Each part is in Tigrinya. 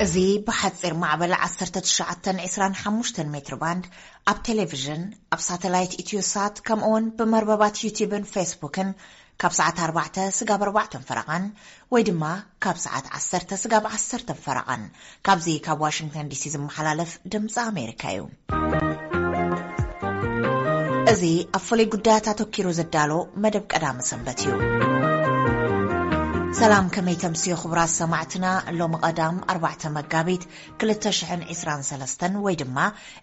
እዚ ብሓጺር ማዕበል ዓሰርተ ትሽዓተ ዕስራን ሓሙሽተን ሜትር ባንድ ኣብ ቴሌቪዥን፣ ኣብ ሳተላይት ኢትዮሳት፣ ከምኡውን ብመርበባት ዩቲዩብን ፌስቡክን ካብ ሰዓት ኣርባዕተ ስጋብ ኣርባዕተን ፈረቓን ወይ ድማ ካብ ሰዓት ዓሰርተ ስጋብ ዓሰርተን ፈረቓን ካብዚ ካብ ዋሽንግተን ዲሲ ዝመሓላለፍ ድምፂ ኣሜሪካ እዩ። እዚ ኣብ ፍሉይ ጉዳያት ኣተኪሩ ዝዳሎ መደብ ቀዳመ ሰንበት እዩ። ሰላም፣ ከመይ ተምስዮ ክቡራት ሰማዕትና? ሎሚ ቀዳም ኣርባዕተ መጋቢት ክልተ ሽሕን ዕስራን ሰለስተን ወይ ድማ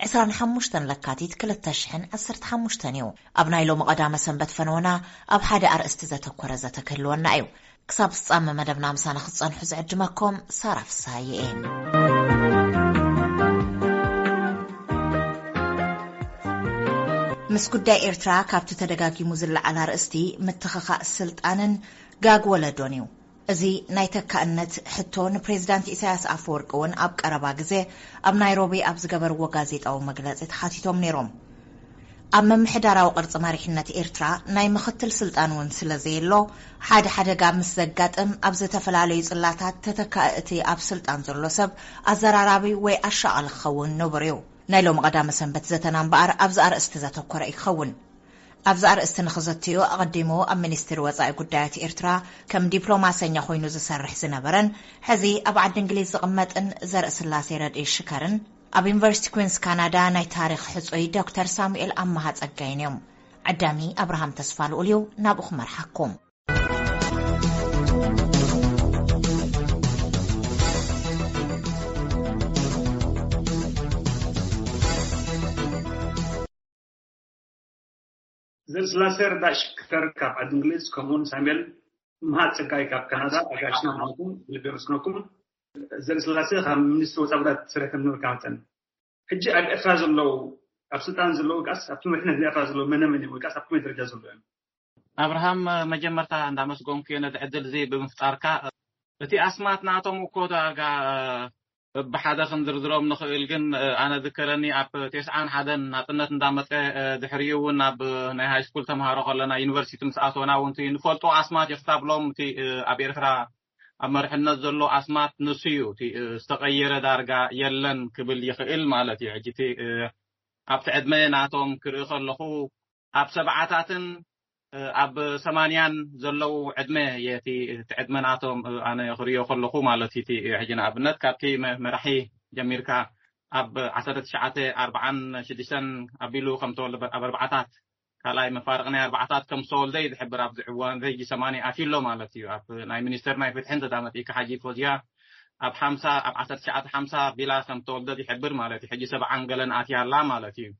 ዕስራን ሓሙሽተን ለካቲት ክልተ ሽሕን ዓሰርተ ሓሙሽተን እዩ። ኣብ ናይ ሎሚ ቀዳመ ሰንበት ፈነወና ኣብ ሓደ ኣርእስቲ ዘተኮረ ዘተ ክህልወና እዩ። ክሳብ ፍጻመ መደብና ምሳና ክትጸንሑ ዝዕድመኩም ሳራ ፍስሃየ እየ። ምስ ጉዳይ ኤርትራ ካብቲ ተደጋጊሙ ዝለዓል ኣርእስቲ ምትኽኻእ ስልጣንን ጋግ ወለዶን እዩ። እዚ ናይ ተካእነት ሕቶ ንፕሬዝዳንት ኢሳያስ ኣፈወርቂ እውን ኣብ ቀረባ ግዜ ኣብ ናይሮቢ ኣብ ዝገበርዎ ጋዜጣዊ መግለጺ ተሓቲቶም ነይሮም። ኣብ ምምሕዳራዊ ቅርጺ መሪሕነት ኤርትራ ናይ ምኽትል ስልጣን እውን ስለ ዘየሎ፣ ሓደ ሓደጋ ምስ ዘጋጥም ኣብ ዝተፈላለዩ ጽላታት ተተካኢ እቲ ኣብ ስልጣን ዘሎ ሰብ ኣዘራራቢ ወይ ኣሻቓሊ ክኸውን ንቡር እዩ። ናይ ሎሚ ቀዳመ ሰንበት ዘተና እምበኣር ኣብዚ ኣርእስቲ ዘተኮረ እዩ ክኸውን። ኣብዚ ኣርእስቲ ንኽዘትዮ ኣቐዲሙ ኣብ ሚኒስትሪ ወጻኢ ጉዳያት ኤርትራ ከም ዲፕሎማሰኛ ኮይኑ ዝሰርሕ ዝነበረን ሕዚ ኣብ ዓዲ እንግሊዝ ዝቕመጥን ዘርእስላሴ ረድኢ ሽከርን ኣብ ዩኒቨርሲቲ ኩንስ ካናዳ ናይ ታሪኽ ሕጹይ ዶክተር ሳሙኤል ኣማሃ ጸጋይን እዮም። ዓዳሚ ኣብርሃም ተስፋ ልኡል እዩ፣ ናብኡ ክመርሓኩም። ዘርእስላሴ ረዳ ሽከር ካብ ዓዲ እንግሊዝ፣ ከምኡውን ሳሙኤል መሃ ጸጋይ ካብ ካናዳ ኣጋሽና ማለትኩም ብልቢ የመስግነኩም። ዘርእስላሴ ካብ ሚኒስትሪ ወጻኢ ጉዳያት ስርሕ ከም ነበርካ መጠን፣ ሕጂ ኣብ ኤርትራ ዘለዉ፣ ኣብ ስልጣን ዘለዉ ወይከኣስ ኣብቲ መሪሕነት ናይ ኤርትራ ዘለዉ መነ መን እዮም ወይከኣስ ኣብ ከመይ ደረጃ ዘለዉ እዮም? ኣብርሃም፣ መጀመርታ እንዳመስገንኩ እየ ነዚ ዕድል እዚ ብምፍጣርካ። እቲ ኣስማት ናቶም እኮ ዳርጋ በብሓደ ክንዝርዝሮም ንኽእል፣ ግን ኣነ ዝከረኒ ኣብ ተስዓን ሓደን ናጽነት እንዳመጸ፣ ድሕሪኡ እውን ኣብ ናይ ሃይስኩል ተምሃሮ ከለና ዩኒቨርሲቲ ምስ ኣተወና እውን እቲ ንፈልጦ ኣስማት እዩ። ክሳብ ሎም እቲ ኣብ ኤርትራ ኣብ መርሕነት ዘሎ ኣስማት ንሱ እዩ። እቲ ዝተቐየረ ዳርጋ የለን ክብል ይኽእል ማለት እዩ። ሕጂ እቲ ኣብቲ ዕድመ ናቶም ክርኢ ከለኹ ኣብ ሰብዓታትን ኣብ ሰማንያን ዘለዉ ዕድመ እየ እቲ እቲ ዕድመ ናቶም ኣነ ክርእዮ ከለኹ ማለት እዩ። እቲ ሕጂ ንኣብነት ካብቲ መ- መራሒ ጀሚርካ ኣብ ዓሰርተ ትሽዓተ ኣርብዓን ሽዱሽተን ኣቢሉ ከም ዝተወልደ፣ ኣብ ኣርባዓታት ካልኣይ መፋርቕ ናይ ኣርባዓታት ከም ዝተወልደ እዩ ዝሕብር። ኣብዚ እዋን እዚ ሕጂ ሰማንያ ኣትዩ ኣሎ ማለት እዩ። ኣብ ናይ ሚኒስተር ናይ ፍትሒ እንተዳመፂእካ ሓጂ ፎዝያ ኣብ ሓምሳ ኣብ ዓሰርተ ትሽዓተ ሓምሳ ቢላ ከም ዝተወልደት ይሕብር ማለት እዩ። ሕጂ ሰብዓን ገለን ኣትያ ኣላ ማለት እዩ።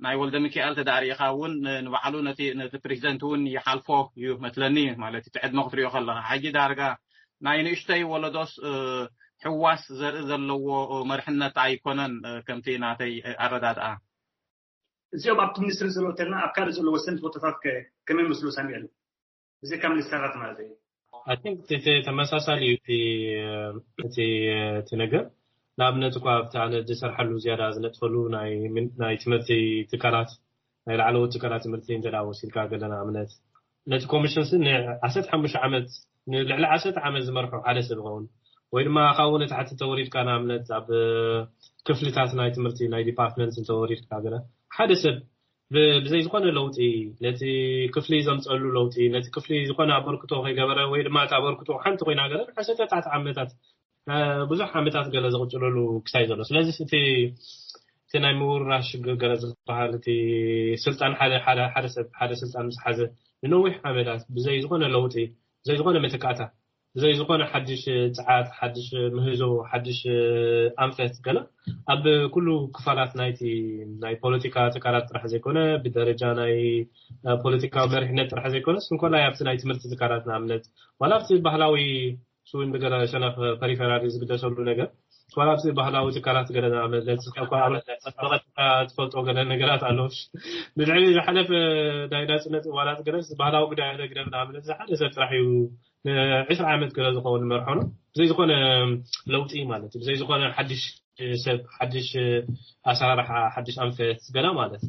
ናይ ወልደ ሚካኤል ተዳሪእኻ እውን ንባዕሉ ነቲ ነቲ ፕሬዚደንት እውን ይሓልፎ እዩ መስለኒ ማለት እቲ ዕድመ ክትሪኦ ከለኻ። ሕጂ ዳርጋ ናይ ንእሽተይ ወለዶስ ሕዋስ ዘርኢ ዘለዎ መርሕነት ኣይኮነን ከምቲ ናተይ ኣረዳድኣ። እዚኦም ኣብቲ ሚኒስትሪ ዘለዉ ተልና ኣብ ካልእ ዘለዉ ወሰንቲ ቦታታት ከ ከመይ መስሉ ሳሚኤል? ብዘይካ ሚኒስተራት ማለት እዩ። I think እቲ ተመሳሳሊ እዩ እቲ እቲ እቲ ነገር። ንኣብነት እኳ ኣብቲ ኣነ ዝሰርሐሉ ዝያዳ ዝነጥፈሉ ናይ ምን- ናይ ትምህርቲ ትካላት ናይ ላዕለዎት ትካላት ትምህርቲ እንተ ደኣ ወሲድካ ገለ ንኣብነት ነቲ ኮሚሽን ሲ ንዓሰርተ ሓሙሽተ ዓመት ንልዕሊ ዓሰርተ ዓመት ዝመርሖ ሓደ ሰብ ይኸውን ወይ ድማ ካብኡ ንታሕቲ ተወሪድካ ንኣብነት ኣብ ክፍልታት ናይ ትምህርቲ ናይ ዲፓርትመንት እንተወሪድካ ገለ ሓደ ሰብ ብዘይ ዝኾነ ለውጢ ነቲ ክፍሊ ዘምፀሉ ለውጢ ነቲ ክፍሊ ዝኾነ ኣበርክቶ ከይገበረ ወይ ድማ እቲ ኣበርክቶ ሓንቲ ኮይና ገለ ንዓሰርተታት ዓመታት ብዙሕ ዓመታት ገለ ዘቕፅለሉ ክሳይ ዘሎ ስለዚ እቲ እቲ ናይ ምውራሽ ሽግር ገለ ዝበሃል እቲ ስልጣን ሓደ ሓደ ሓደ ሰብ ሓደ ስልጣን ምስ ሓዘ ንነዊሕ ዓመታት ብዘይ ዝኾነ ለውጢ ብዘይ ዝኾነ መተካእታ ብዘይ ዝኾነ ሓድሽ ፃዓት ሓድሽ ምህዞ ሓድሽ ኣንፈት ገለ ኣብ ኩሉ ክፋላት ናይቲ ናይ ፖለቲካ ትካላት ጥራሕ ዘይኮነ ብደረጃ ናይ ፖለቲካዊ መሪሕነት ጥራሕ ዘይኮነስ እንኮላይ ኣብቲ ናይ ትምህርቲ ትካላት ንኣብነት ዋላ ኣብቲ ባህላዊ ስዊን ብገለ ሸነኽ ፐሪፈራል እዩ ዝግደሰሉ ነገር ዋላ ኣብቲ ባህላዊ ትካላት ገለ ንኣብነት ለትስካ እኳ ብቐጥታ ትፈልጦ ገለ ነገራት ኣለዎ ንድሕሪ ዝሓለፈ ናይ ናፅነት እዋላት ገለስ ባህላዊ ጉዳይ ኣለ ግደፍ ንኣብነት ሓደ ሰብ ጥራሕ እዩ ንዕስራ ዓመት ገለ ዝኸውን መርሖ ነው ብዘይ ዝኾነ ለውጢ ማለት እዩ ብዘይ ዝኾነ ሓድሽ ሰብ ሓድሽ ኣሰራርሓ ሓድሽ ኣንፈት ገለ ማለት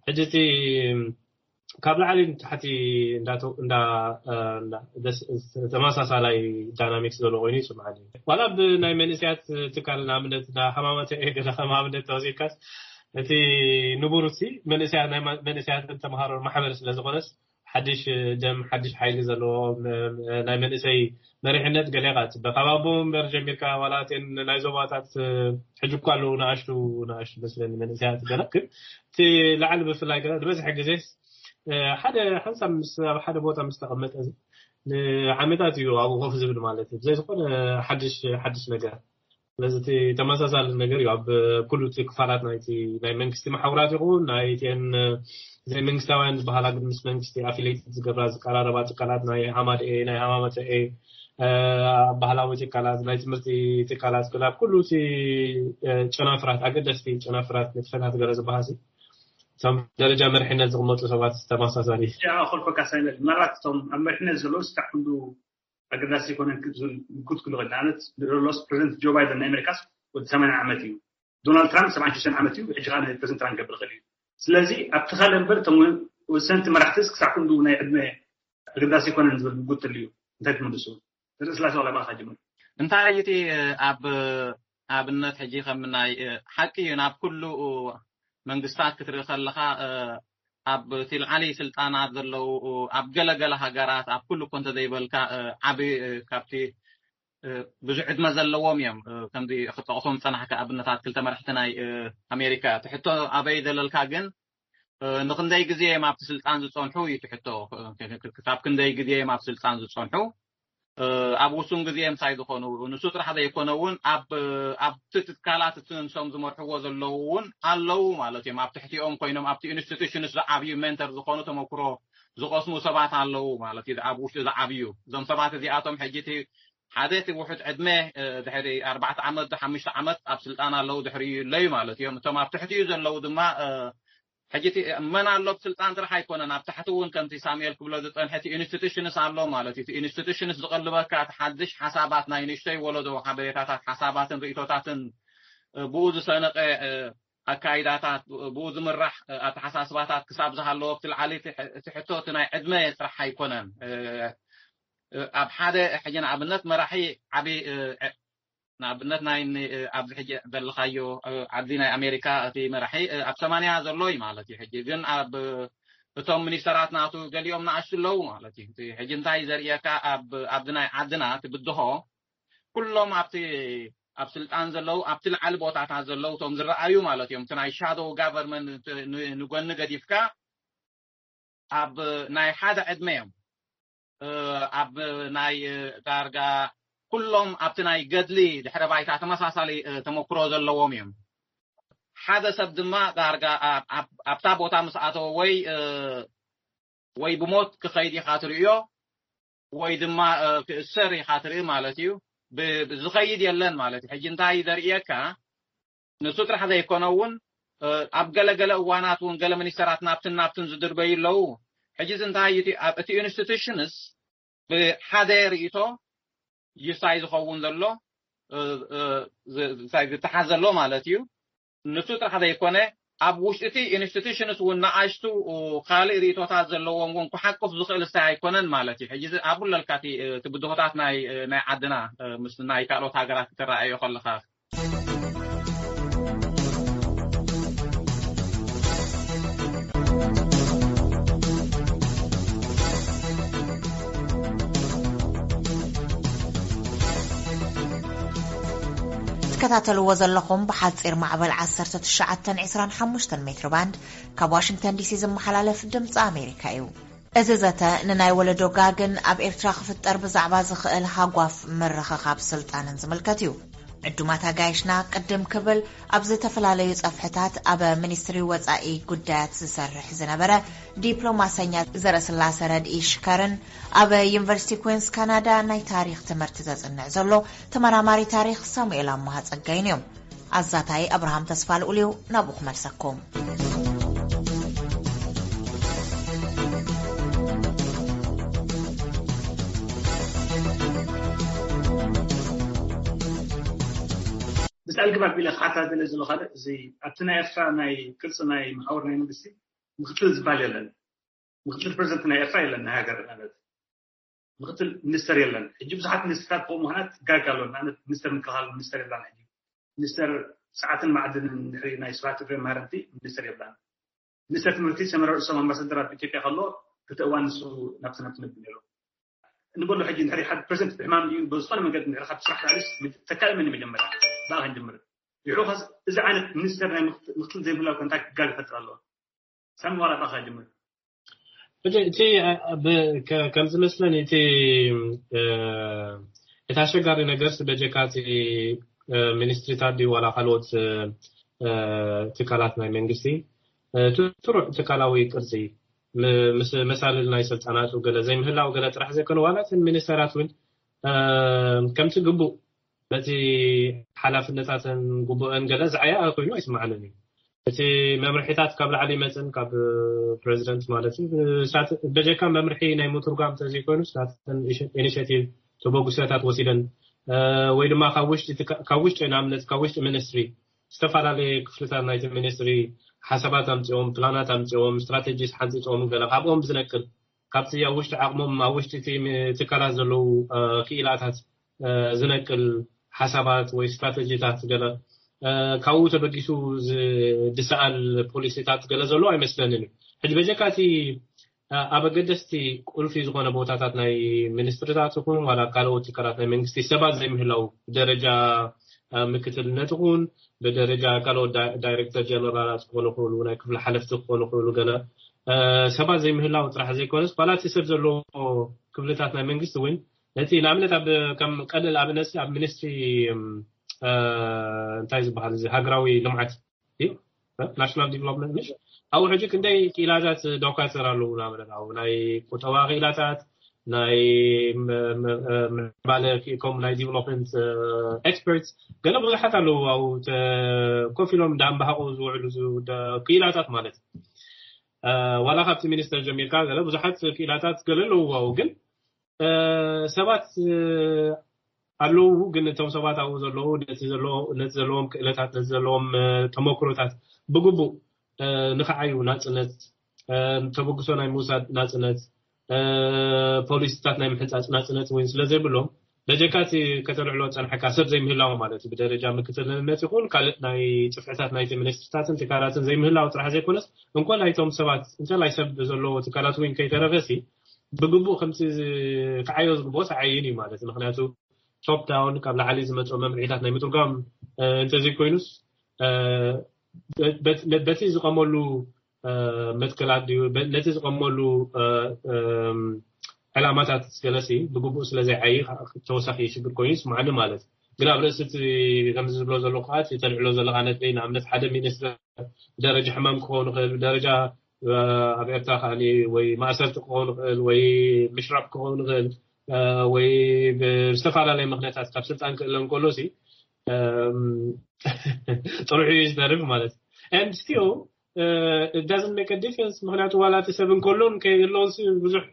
ሕጂ እቲ ካብ ላዕሊ ንታሕቲ እንዳ ተማሳሳላይ ዳይናሚክስ ዘሎ ኮይኑ ይስምዓኒ። ዋላ ብናይ መንእሰያት ትካል ንኣብነት እንዳ ሃማመተ ገለ ከም ኣብነት ተወሲድካስ እቲ ንቡር ሲ መንእሰያት ናይ መንእሰያትን ተምሃሮ ማሕበር ስለ ዝኾነስ ሓድሽ ደም ሓድሽ ሓይሊ ዘለዎ ናይ መንእሰይ መሪሕነት ገለ ኢኻ ትፅበ። ካብ ኣቦ መንበር ጀሚርካ ዋላ እተን ናይ ዞባታት ሕጂ እኳ ኣለዉ ንኣሽቱ ንኣሽቱ መስለኒ መንእሰያት ገለ ግን እቲ ላዕሊ ብፍላይ ገለ ዝበዝሐ ግዜ ሓደ ሓንሳብ ምስ ኣብ ሓደ ቦታ ምስ ተቐመጠ ንዓመታት እዩ ኣብኡ ኮፍ ዝብል ማለት እዩ። ብዘይ ዝኾነ ሓድሽ ሓድሽ ነገር ስለዚ እቲ ተመሳሳሊ ነገር እዩ ኣብ ኩሉ እቲ ክፋላት ናይቲ ናይ መንግስቲ መሓውራት ይኹን ናይቲን ዘይመንግስታውያን ዝበሃላ ግን ምስ መንግስቲ ኣፊሌት ዝገብራ ዝቀራረባ ትካላት ናይ ሃማደኤ ናይ ሃማመተኤ ባህላዊ ትካላት ናይ ትምህርቲ ትካላት ክላብ ኩሉ እቲ ጨናፍራት ኣገደስቲ ጨናፍራት ንጥፈታት ገለ ዝበሃሲ እቶም ደረጃ መርሕነት ዝቕመጡ ሰባት ተመሳሳሊ ኣኹልፈካ ሳይመል ምናልባት እቶም ኣብ መርሕነት ዘለዉ ስታዕ ኩሉ ኣገዳሲ ኣይኮነን ክትብል ምጉት ክሉ ንኣብነት ሎስ ፕሬዚደንት ጆ ባይደን ናይ ኣሜሪካስ ወዲ ሰማንያ ዓመት እዩ። ዶናልድ ትራምፕ ሰብዓን ሽዱሽተን ዓመት እዩ። ሕጂ ከዓ ፕሬዚደንት ትራምፕ ገብር ክእል እዩ። ስለዚ ኣብቲ ካልእ እምበር እቶም ወሰንቲ መራሕትስ ክሳዕ ክንዱ ናይ ዕድመ ኣገዳሲ ኣይኮነን ዝብል ምጉት ትልዩ እንታይ ትምልሱ? ርእስላሴ ዋላ ባካ ጅምር። እንታይ እዩ እቲ ኣብ ኣብነት ሕጂ ከም ናይ ሓቂ እዩ ናብ ኩሉ መንግስታት ክትርኢ ከለካ ኣብ እቲ ልዓሊ ስልጣናት ዘለዉ ኣብ ገለገለ ሃገራት ኣብ ኩሉ እኮ እንተዘይበልካ ዓቢ ካብቲ ብዙሕ ዕድመ ዘለዎም እዮም። ከምዚ ክጠቕሶም ዝፀናሕካ ኣብነታት ክልተ መራሕቲ ናይ ኣሜሪካ ትሕቶ ኣበይ ዘለልካ ግን ንክንደይ ግዜ እዮም ኣብቲ ስልጣን ዝፀንሑ እዩ ትሕቶ። ክሳብ ክንደይ ግዜ እዮም ኣብ ስልጣን ዝፀንሑ ኣብ ውሱን ግዜ ምሳይ ዝኾኑ ንሱ ጥራሕ ዘይኮነ እውን ኣብቲ ትካላት እቲ ንሶም ዝመርሕዎ ዘለዉ እውን ኣለዉ ማለት እዮም። ኣብ ትሕቲኦም ኮይኖም ኣብቲ ኢንስቲቱሽንስ ዝዓብዩ ሜንተር ዝኾኑ ተመክሮ ዝቐስሙ ሰባት ኣለዉ ማለት እዩ። ኣብ ውሽጢ ዝዓብዩ እዞም ሰባት እዚኣቶም ሕጂ እቲ ሓደ እቲ ውሑድ ዕድመ ድሕሪ ኣርባዕተ ዓመት ዶ ሓሙሽተ ዓመት ኣብ ስልጣን ኣለዉ ድሕሪ ይለዩ ማለት እዮም። እቶም ኣብ ትሕቲኡ ዘለዉ ድማ ሕጂ እቲ መን ኣሎ ብስልጣን ጥራሕ ኣይኮነን ኣብ ታሕቲ እውን ከምቲ ሳሙኤል ክብሎ ዝፀንሐ እቲ ኢንስቲቱሽንስ ኣሎ ማለት እዩ። ኢንስቲቱሽንስ ዝቐልበካ እቲ ሓድሽ ሓሳባት ናይ ንእሽተይ ወለዶ ሓበሬታታት ሓሳባትን ርእቶታትን ብኡ ዝሰነቀ ኣካይዳታት ብኡ ዝምራሕ ኣተሓሳስባታት ክሳብ ዝሃለዎ ኣብቲ ልዓሊ እቲ ሕቶ እቲ ናይ ዕድመ ጥራሕ ኣይኮነን። ኣብ ሓደ ሕጂ ንኣብነት መራሒ ዓብዪ ንኣብነት ናይ ኣብዚ ሕጂ ዘለኻዮ ኣብዚ ናይ ኣሜሪካ እቲ መራሒ ኣብ ሰማንያ ዘሎ እዩ ማለት እዩ። ሕጂ ግን ኣብ እቶም ሚኒስተራት ናቱ ገሊኦም ንኣሽቱ ኣለዉ ማለት እዩ። ሕጂ እንታይ ዘርእየካ ኣብዚ ናይ ዓድና እቲ ብድሆ ኩሎም ኣብቲ ኣብ ስልጣን ዘለዉ ኣብቲ ልዓሊ ቦታታት ዘለዉ እቶም ዝረኣዩ ማለት እዮም። እቲ ናይ ሻዶው ጋቨርንመንት ንጎኒ ገዲፍካ ኣብ ናይ ሓደ ዕድመ እዮም ኣብ ናይ ዳርጋ ኩሎም ኣብቲ ናይ ገድሊ ድሕረ ባይታ ተመሳሳሊ ተመክሮ ዘለዎም እዮም። ሓደ ሰብ ድማ ዳርጋ ኣብታ ቦታ ምስ ኣተወ ወይ ወይ ብሞት ክኸይድ ኢኻ ትርእዮ ወይ ድማ ክእሰር ኢኻ ትርኢ ማለት እዩ። ዝኸይድ የለን ማለት እዩ። ሕጂ እንታይ ዘርእየካ ንሱ ጥራሕ ዘይኮነ እውን ኣብ ገለገለ እዋናት እውን ገለ ሚኒስተራት ናብትን ናብትን ዝድርበዩ ኣለዉ። ሕጂ እዚ እንታይ እዩ እቲ ኢንስቲቱሽንስ ብሓደ ርእቶ ይሳይ ዝኸውን ዘሎ ዝተሓዝ ዘሎ ማለት እዩ። ንሱ ጥራሕ ዘይኮነ ኣብ ውሽጢ እቲ ኢንስቲቱሽንስ እውን ንኣሽቱ ካልእ ርእቶታት ዘለዎም እውን ክሓቁፍ ዝኽእል ስታይ ኣይኮነን ማለት እዩ። ሕጂ ኣብለልካ እቲ ብድሆታት ናይ ዓድና ምስ ናይ ካልኦት ሃገራት ክትረኣዮ ከለካ ትከታተልዎ ዘለኹም ብሓፂር ማዕበል ዓሰርተ ትሽዓተ ዕስራን ሓሙሽተን ሜትሮ ባንድ ካብ ዋሽንግተን ዲሲ ዝመሓላለፍ ድምፂ ኣሜሪካ እዩ። እዚ ዘተ ንናይ ወለዶ ጋግን ኣብ ኤርትራ ክፍጠር ብዛዕባ ዝኽእል ሃጓፍ ምርኽኻብ ስልጣንን ዝምልከት እዩ። ዕዱማት ኣጋይሽና ቅድም ክብል ኣብ ዝተፈላለዩ ጸፍሕታት ኣብ ሚኒስትሪ ወጻኢ ጉዳያት ዝሰርሕ ዝነበረ ዲፕሎማሰኛ ዘረስላሰ ረድኢ ሽከርን ኣብ ዩኒቨርሲቲ ኩንስ ካናዳ ናይ ታሪኽ ትምህርቲ ዘጽንዕ ዘሎ ተመራማሪ ታሪኽ ሳሙኤል ኣማሃ ጸጋይን እዮም። ኣዛታይ ኣብርሃም ተስፋ ልኡልዩ ናብኡ ክመልሰኩም። ብስኣል ግባብ ቢለ ክሓታተለ ዘሎ ካልእ እዚ ኣብቲ ናይ ኤርትራ ናይ ቅርፂ ናይ መሓውር ናይ መንግስቲ ምክትል ዝበሃል የለን። ምክትል ፕሬዚደንት ናይ ኤርትራ የለን፣ ናይ ሃገር ማለት ምክትል ሚኒስተር የለን። ሕጂ ብዙሓት ሚኒስተራት ብኡ ምኽንያት ጋግ ኣሎ። ንኣብነት ሚኒስተር ምክልኻል ሚኒስተር የለን። ሕጂ ሚኒስተር ሰዓትን ማዕድንን ድሕሪ ናይ ስብሓት እፍሬም ማረንቲ ሚኒስተር የብላን። ሚኒስተር ትምህርቲ ሰመረ ርእሶም ኣምባሳደር ኣብ ኢትዮጵያ ከሎ ክልተ እዋን ንሱ ናብቲ ናብቲ ነብር ነይሩ። ንበሎ ሕጂ እንድሕሪ ሓደ ፕሬዚደንት ብሕማም እዩ ብዝኾነ መንገዲ እንድሕሪ ካብ ስራሕ ላዕሊስ ተካኢ መን መጀመርያ ብኣ ክንጅምር። ይሑ ኸስ እዚ ዓይነት ሚኒስተር ናይ ምክትል ዘይምህላው ኮንታክት ጋግ ይፈጥር ኣለዎ። ሳሚ ዋላ ብኣኻ ጅምር። እቲ ከም ዝመስለኒ እቲ እቲ ኣሸጋሪ ነገርስ በጀካ እቲ ሚኒስትሪታት ድዩ ዋላ ካልኦት ትካላት ናይ መንግስቲ ትሩዕ ትካላዊ ቅርፂ ምስ መሳልል ናይ ስልጣናቱ ገለ ዘይምህላው ገለ ጥራሕ ዘይኮነ ዋላ እተን ሚኒስተራት እውን ከምቲ ግቡእ ነቲ ሓላፍነታተን ግቡአን ገለ ዝዓያ ኮይኑ ኣይስማዓንን እዩ። እቲ መምርሒታት ካብ ላዕሊ ይመፅን ካብ ፕሬዚደንት ማለት እዩ። በጀካ መምርሒ ናይ ምትርጓም ተዘይኮይኑ ስታትን ኢኒሽቲቭ ተበግሶታት ወሲደን ወይ ድማ ካብ ውሽጢ ንኣብነት ካብ ውሽጢ ሚኒስትሪ ዝተፈላለየ ክፍልታት ናይቲ ሚኒስትሪ ሓሳባት ኣምፅኦም፣ ፕላናት ኣምፅኦም፣ ስትራቴጂስ ሓንፂፆም ገለ ካብኦም ዝነቅል ካብቲ ኣብ ውሽጢ ዓቕሞም ኣብ ውሽጢ እቲ ትካላት ዘለዉ ክኢላታት ዝነቅል ሓሳባት ወይ ስትራተጂታት ገለ ካብኡ ተበጊሱ ዝሰኣል ፖሊሲታት ገለ ዘሎ ኣይመስለንን እዩ። ሕጂ በጀካ እቲ ኣብ ኣገደስቲ ቁልፊ ዝኾነ ቦታታት ናይ ሚኒስትሪታት ይኹን ዋላ ካልኦት ትካላት ናይ መንግስቲ ሰባት ዘይምህላው ብደረጃ ምክትልነት ይኹን ብደረጃ ካልኦት ዳይሬክተር ጀነራላት ክኾኑ ይኽእሉ ናይ ክፍሊ ሓለፍቲ ክኾኑ ይኽእሉ ገለ ሰባት ዘይምህላው ጥራሕ ዘይኮነስ ዋላ እቲ ሰብ ዘለዎ ክፍልታት ናይ መንግስቲ እውን ነቲ ንኣብነት ኣብ ከም ቀልል ኣብነት ኣብ ሚኒስትሪ እንታይ ዝበሃል እዚ ሃገራዊ ልምዓት እዩ ናሽናል ዲቨሎፕመንት ምሽ ኣብኡ ሕጂ ክንደይ ክኢላታት ዶካተር ኣለዉ ንኣብነት ኣብኡ ናይ ቁጠባ ክኢላታት ናይ ምዕባለ ከም ናይ ዲቨሎፕመንት ኤክስፐርትስ ገለ ብዙሓት ኣለዉ ኣብኡ ኮፍ ኢሎም እንዳንባሃቑ ዝውዕሉ ክኢላታት ማለት እዩ። ዋላ ካብቲ ሚኒስተር ጀሚርካ ገለ ብዙሓት ክኢላታት ገለ ኣለዉ ኣብኡ ግን ሰባት ኣለዉ ግን እቶም ሰባት ኣብኡ ዘለዉ ነቲ ዘለዎም ክእለታት ነቲ ዘለዎም ተመክሮታት ብግቡእ ንክዓዩ ናፅነት ተበግሶ ናይ ምውሳድ ናፅነት ፖሊሲታት ናይ ምሕንፃፅ ናፅነት እውን ስለዘይብሎም በጀካ እቲ ከተልዕሎ ፀንሐካ ሰብ ዘይምህላው ማለት እዩ ብደረጃ ምክትልነት ይኹን ካልእ ናይ ፅፍሕታት ናይቲ ሚኒስትርታትን ትካላትን ዘይምህላው ጥራሕ ዘይኮነስ እንኮ ናይቶም ሰባት እንተላይ ሰብ ዘለዎ ትካላት እውን ከይተረፈሲ ብግቡእ ከምቲ ክዓዮ ዝግብኦ ተዓይን እዩ ማለት ምክንያቱ ቶፕ ዳውን ካብ ላዕሊ ዝመፅኦ መምርሒታት ናይ ምትርጓም እንተዘይኮይኑስ በቲ ዝቐመሉ መትከላት ድዩ ነቲ ዝቐመሉ ዕላማታት ገለሲ ብግቡእ ስለ ዘይዓይ ተወሳኺ ሽግር ኮይኑ ይስማዓኒ ማለት ግን ኣብ ርእሲ እቲ ከምዚ ዝብሎ ዘሎ ከዓ ተልዕሎ ዘለካ ነጥቢ ንኣብነት ሓደ ሚኒስትር ብደረጃ ሕማም ክኸውን ይኽእል ብደረጃ ኣብ ኤርትራ ከዓ ወይ ማእሰርቲ ክኸውን ይኽእል ወይ ምሽራብ ክኸውን ይኽእል ወይ ብዝተፈላለየ ምክንያታት ካብ ስልጣን ክእለ እንከሎ ሲ ጥርሑ እዩ ዝተርፍ ማለት and still doesn't make a difference ምክንያቱ ዋላ እቲ ሰብ እንከሎን ከየሎን ብዙሕ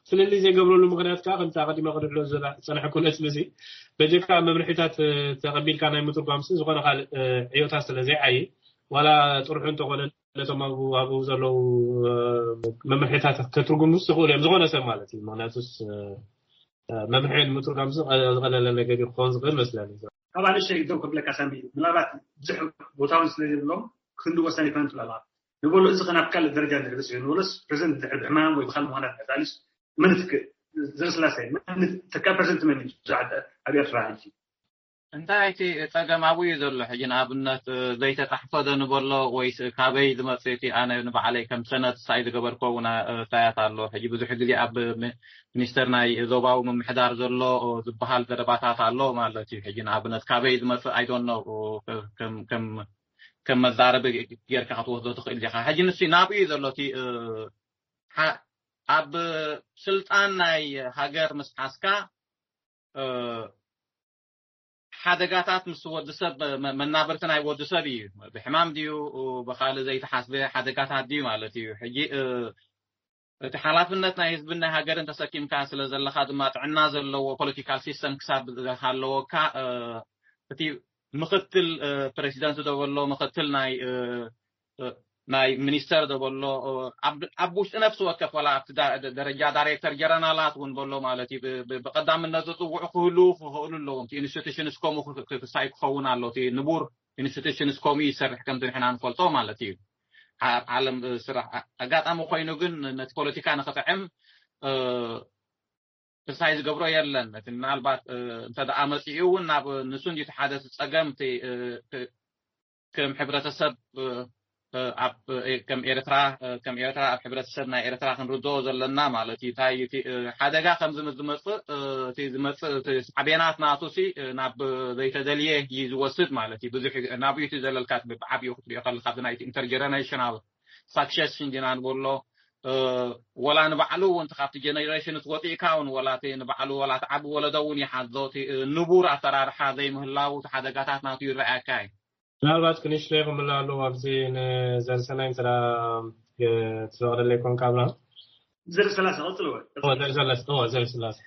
ፍልልይ ዘይገብረሉ ምክንያት ከዓ ከምቲ ኣቀዲመ ክድሕሎ ዝፀናሕኩ ነጥቢ እዚ በጀካ መምርሒታት ተቀቢልካ ናይ ምትርጓም ሲ ዝኾነ ካልእ ዕዮታት ስለ ዘይዓይ ዋላ ጥርሑ እንተኾነ ነቶም ኣብኡ ዘለዉ መምርሒታት ከትርጉሙ ዝኽእሉ እዮም ዝኾነ ሰብ ማለት እዩ ምክንያቱስ መምርሒ ንምትርጓም ዝቐለለ ነገር ክኸውን ዝኽእል መስለኒ ካብ ኣንእሽተይ ደው ከብለካ ሳሚ ምናልባት ብዙሕ ቦታ እውን ስለ ዘይብሎም ክንዲ ወሳኒ ይኮነ ትብላላ ንበሎ እዚ ከ ናብ ካልእ ደረጃ ንድርብስ እዩ ንበሎስ ፕሬዚደንት ድሕሪ ብሕማም ወይ ብካልእ ምክንያት ንዕታሊስ መን ትክእ ዘረስላሴ መን ተካ ፕሬዚደንት መን እዩ ብዙሕ ኣብ ኤርትራ ሕጂ እንታይ እቲ ጸገም ኣብኡ እዩ ዘሎ ሕጂ ንኣብነት ዘይተጻሕፈ ዶ ንበሎ ወይስ ካበይ ዝመጽእ እቲ ኣነ ንባዕለይ ከም ሰነድ ሳይ ዝገበርኮ እውን ኣስተያየት ኣሎ ሕጂ ብዙሕ ግዜ ኣብ ሚኒስተር ናይ ዞባዊ ምምሕዳር ዘሎ ዝበሃል ዘረባታት ኣሎ ማለት እዩ ሕጂ ንኣብነት ካበይ ዝመጽእ ኣይዶኖ ከም መዛረቢ ጌርካ ክትወስዶ ትኽእል ዲኻ ሕጂ ንሱ ናብኡ እዩ ዘሎ እቲ ኣብ ስልጣን ናይ ሃገር ምስ ሓዝካ ሓደጋታት ምስ ወዲ ሰብ መናብርቲ ናይ ወዲ ሰብ እዩ ብሕማም ድዩ ብካልእ ዘይተሓስበ ሓደጋታት ድዩ ማለት እዩ ሕጂ እቲ ሓላፍነት ናይ ህዝብን ናይ ሃገርን ተሰኪምካ ስለ ዘለካ ድማ ጥዕና ዘለዎ ፖለቲካል ሲስተም ክሳብ ዝሃለወካ እቲ ምክትል ፕሬዚደንት ዶ በሎ ምክትል ናይ ናይ ሚኒስተር ዘበሎ ኣብ ውሽጢ ነፍሲ ወከፍ ዋላ ኣብቲ ደረጃ ዳይሬክተር ጀረናላት እውን በሎ ማለት እዩ። ብቀዳምነት ዝፅውዑ ክህልዉ ክኽእሉ ኣለዎም። ኢንስቲቱሽንስ ከምኡ ክሳይ ክኸውን ኣሎ። ንቡር ኢንስቲቱሽንስ ከምኡ ይሰርሕ ከምቲ ንሕና ንፈልጦ ማለት እዩ። ዓለም ስራሕ ኣጋጣሚ ኮይኑ ግን ነቲ ፖለቲካ ንክጥዕም ክሳይ ዝገብሮ የለን። እቲ ምናልባት እንተ ደኣ መጺኡ እውን ናብ ንሱ እንዲቲ ሓደ እቲ ጸገም እቲ ከም ሕብረተሰብ ኣብ ከም ኤርትራ ከም ኤርትራ ኣብ ሕብረተሰብ ናይ ኤርትራ ክንርድኦ ዘለና ማለት እዩ። እንታይ እቲ ሓደጋ ከም ዝመጽእ እቲ ዝመጽእ እቲ ሳዕቤናት ናቱ ሲ ናብ ዘይተደልየ እዩ ዝወስድ ማለት እዩ። ብዙሕ ናብኡ እቲ ዘለልካ ብዓብኡ ክትሪኦ ከለካ ኣብዚ ናይቲ ኢንተርጀነሬሽናል ሳክሴሽን ዲና ንብሎ ወላ ንባዕሉ እውን ካብቲ ጀነሬሽን ትወፂእካ እውን ወላ ንባዕሉ ወላ ትዓቢ ወለዶ እውን ይሓዞ። ንቡር ኣሰራርሓ ዘይምህላው ሓደጋታት ናቱ ይረኣየካ እዩ። ምናልባት ክንሽለ ይኽምላ ኣለዎ ኣብዚ ንዘርሰናይ እንተ ትፈቕደለይ ኮንካ ኣብርሃም። ዘርሰላሰ ቀፅልወ ዘርሰላሰ ዘርሰላሰ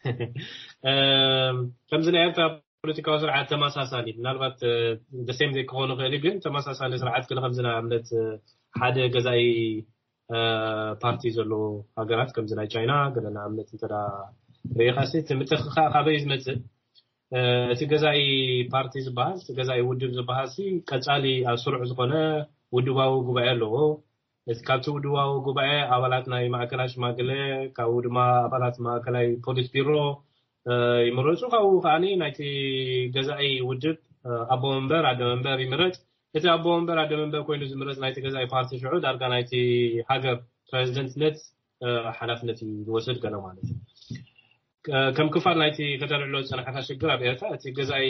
ከምዚ ናይ ኤርትራ ፖለቲካዊ ስርዓት ተመሳሳሊ ምናልባት ደሴም ዘይክኾኑ ክእል ግን ተመሳሳሊ ስርዓት ክለ ከምዚ ንኣብነት ሓደ ገዛኢ ፓርቲ ዘለዎ ሃገራት ከምዚ ናይ ቻይና ገለ ንኣብነት እንተ ርኢኻሲ እቲ ምትኽኻእ ካበይ ዝመፅእ እቲ ገዛኢ ፓርቲ ዝበሃል እቲ ገዛኢ ውድብ ዝበሃል ሲ ቀፃሊ ኣብ ስሩዕ ዝኾነ ውድባዊ ጉባኤ ኣለዎ። እቲ ካብቲ ውድባዊ ጉባኤ ኣባላት ናይ ማእከላይ ሽማግለ ካብኡ ድማ ኣባላት ማእከላይ ፖሊስ ቢሮ ይምረፁ። ካብኡ ከዓ ናይቲ ገዛኢ ውድብ ኣቦ መንበር ኣደ መንበር ይምረፅ። እቲ ኣቦ መንበር ኣደ መንበር ኮይኑ ዝምረፅ ናይቲ ገዛኢ ፓርቲ ሽዑ ዳርጋ ናይቲ ሃገር ፕሬዚደንትነት ሓላፍነት እዩ ዝወስድ ገለ ማለት እዩ። ከም ክፋል ናይቲ ከተልዕሎ ዝፀናሕካ ሽግር ኣብ ኤርትራ እቲ ገዛኢ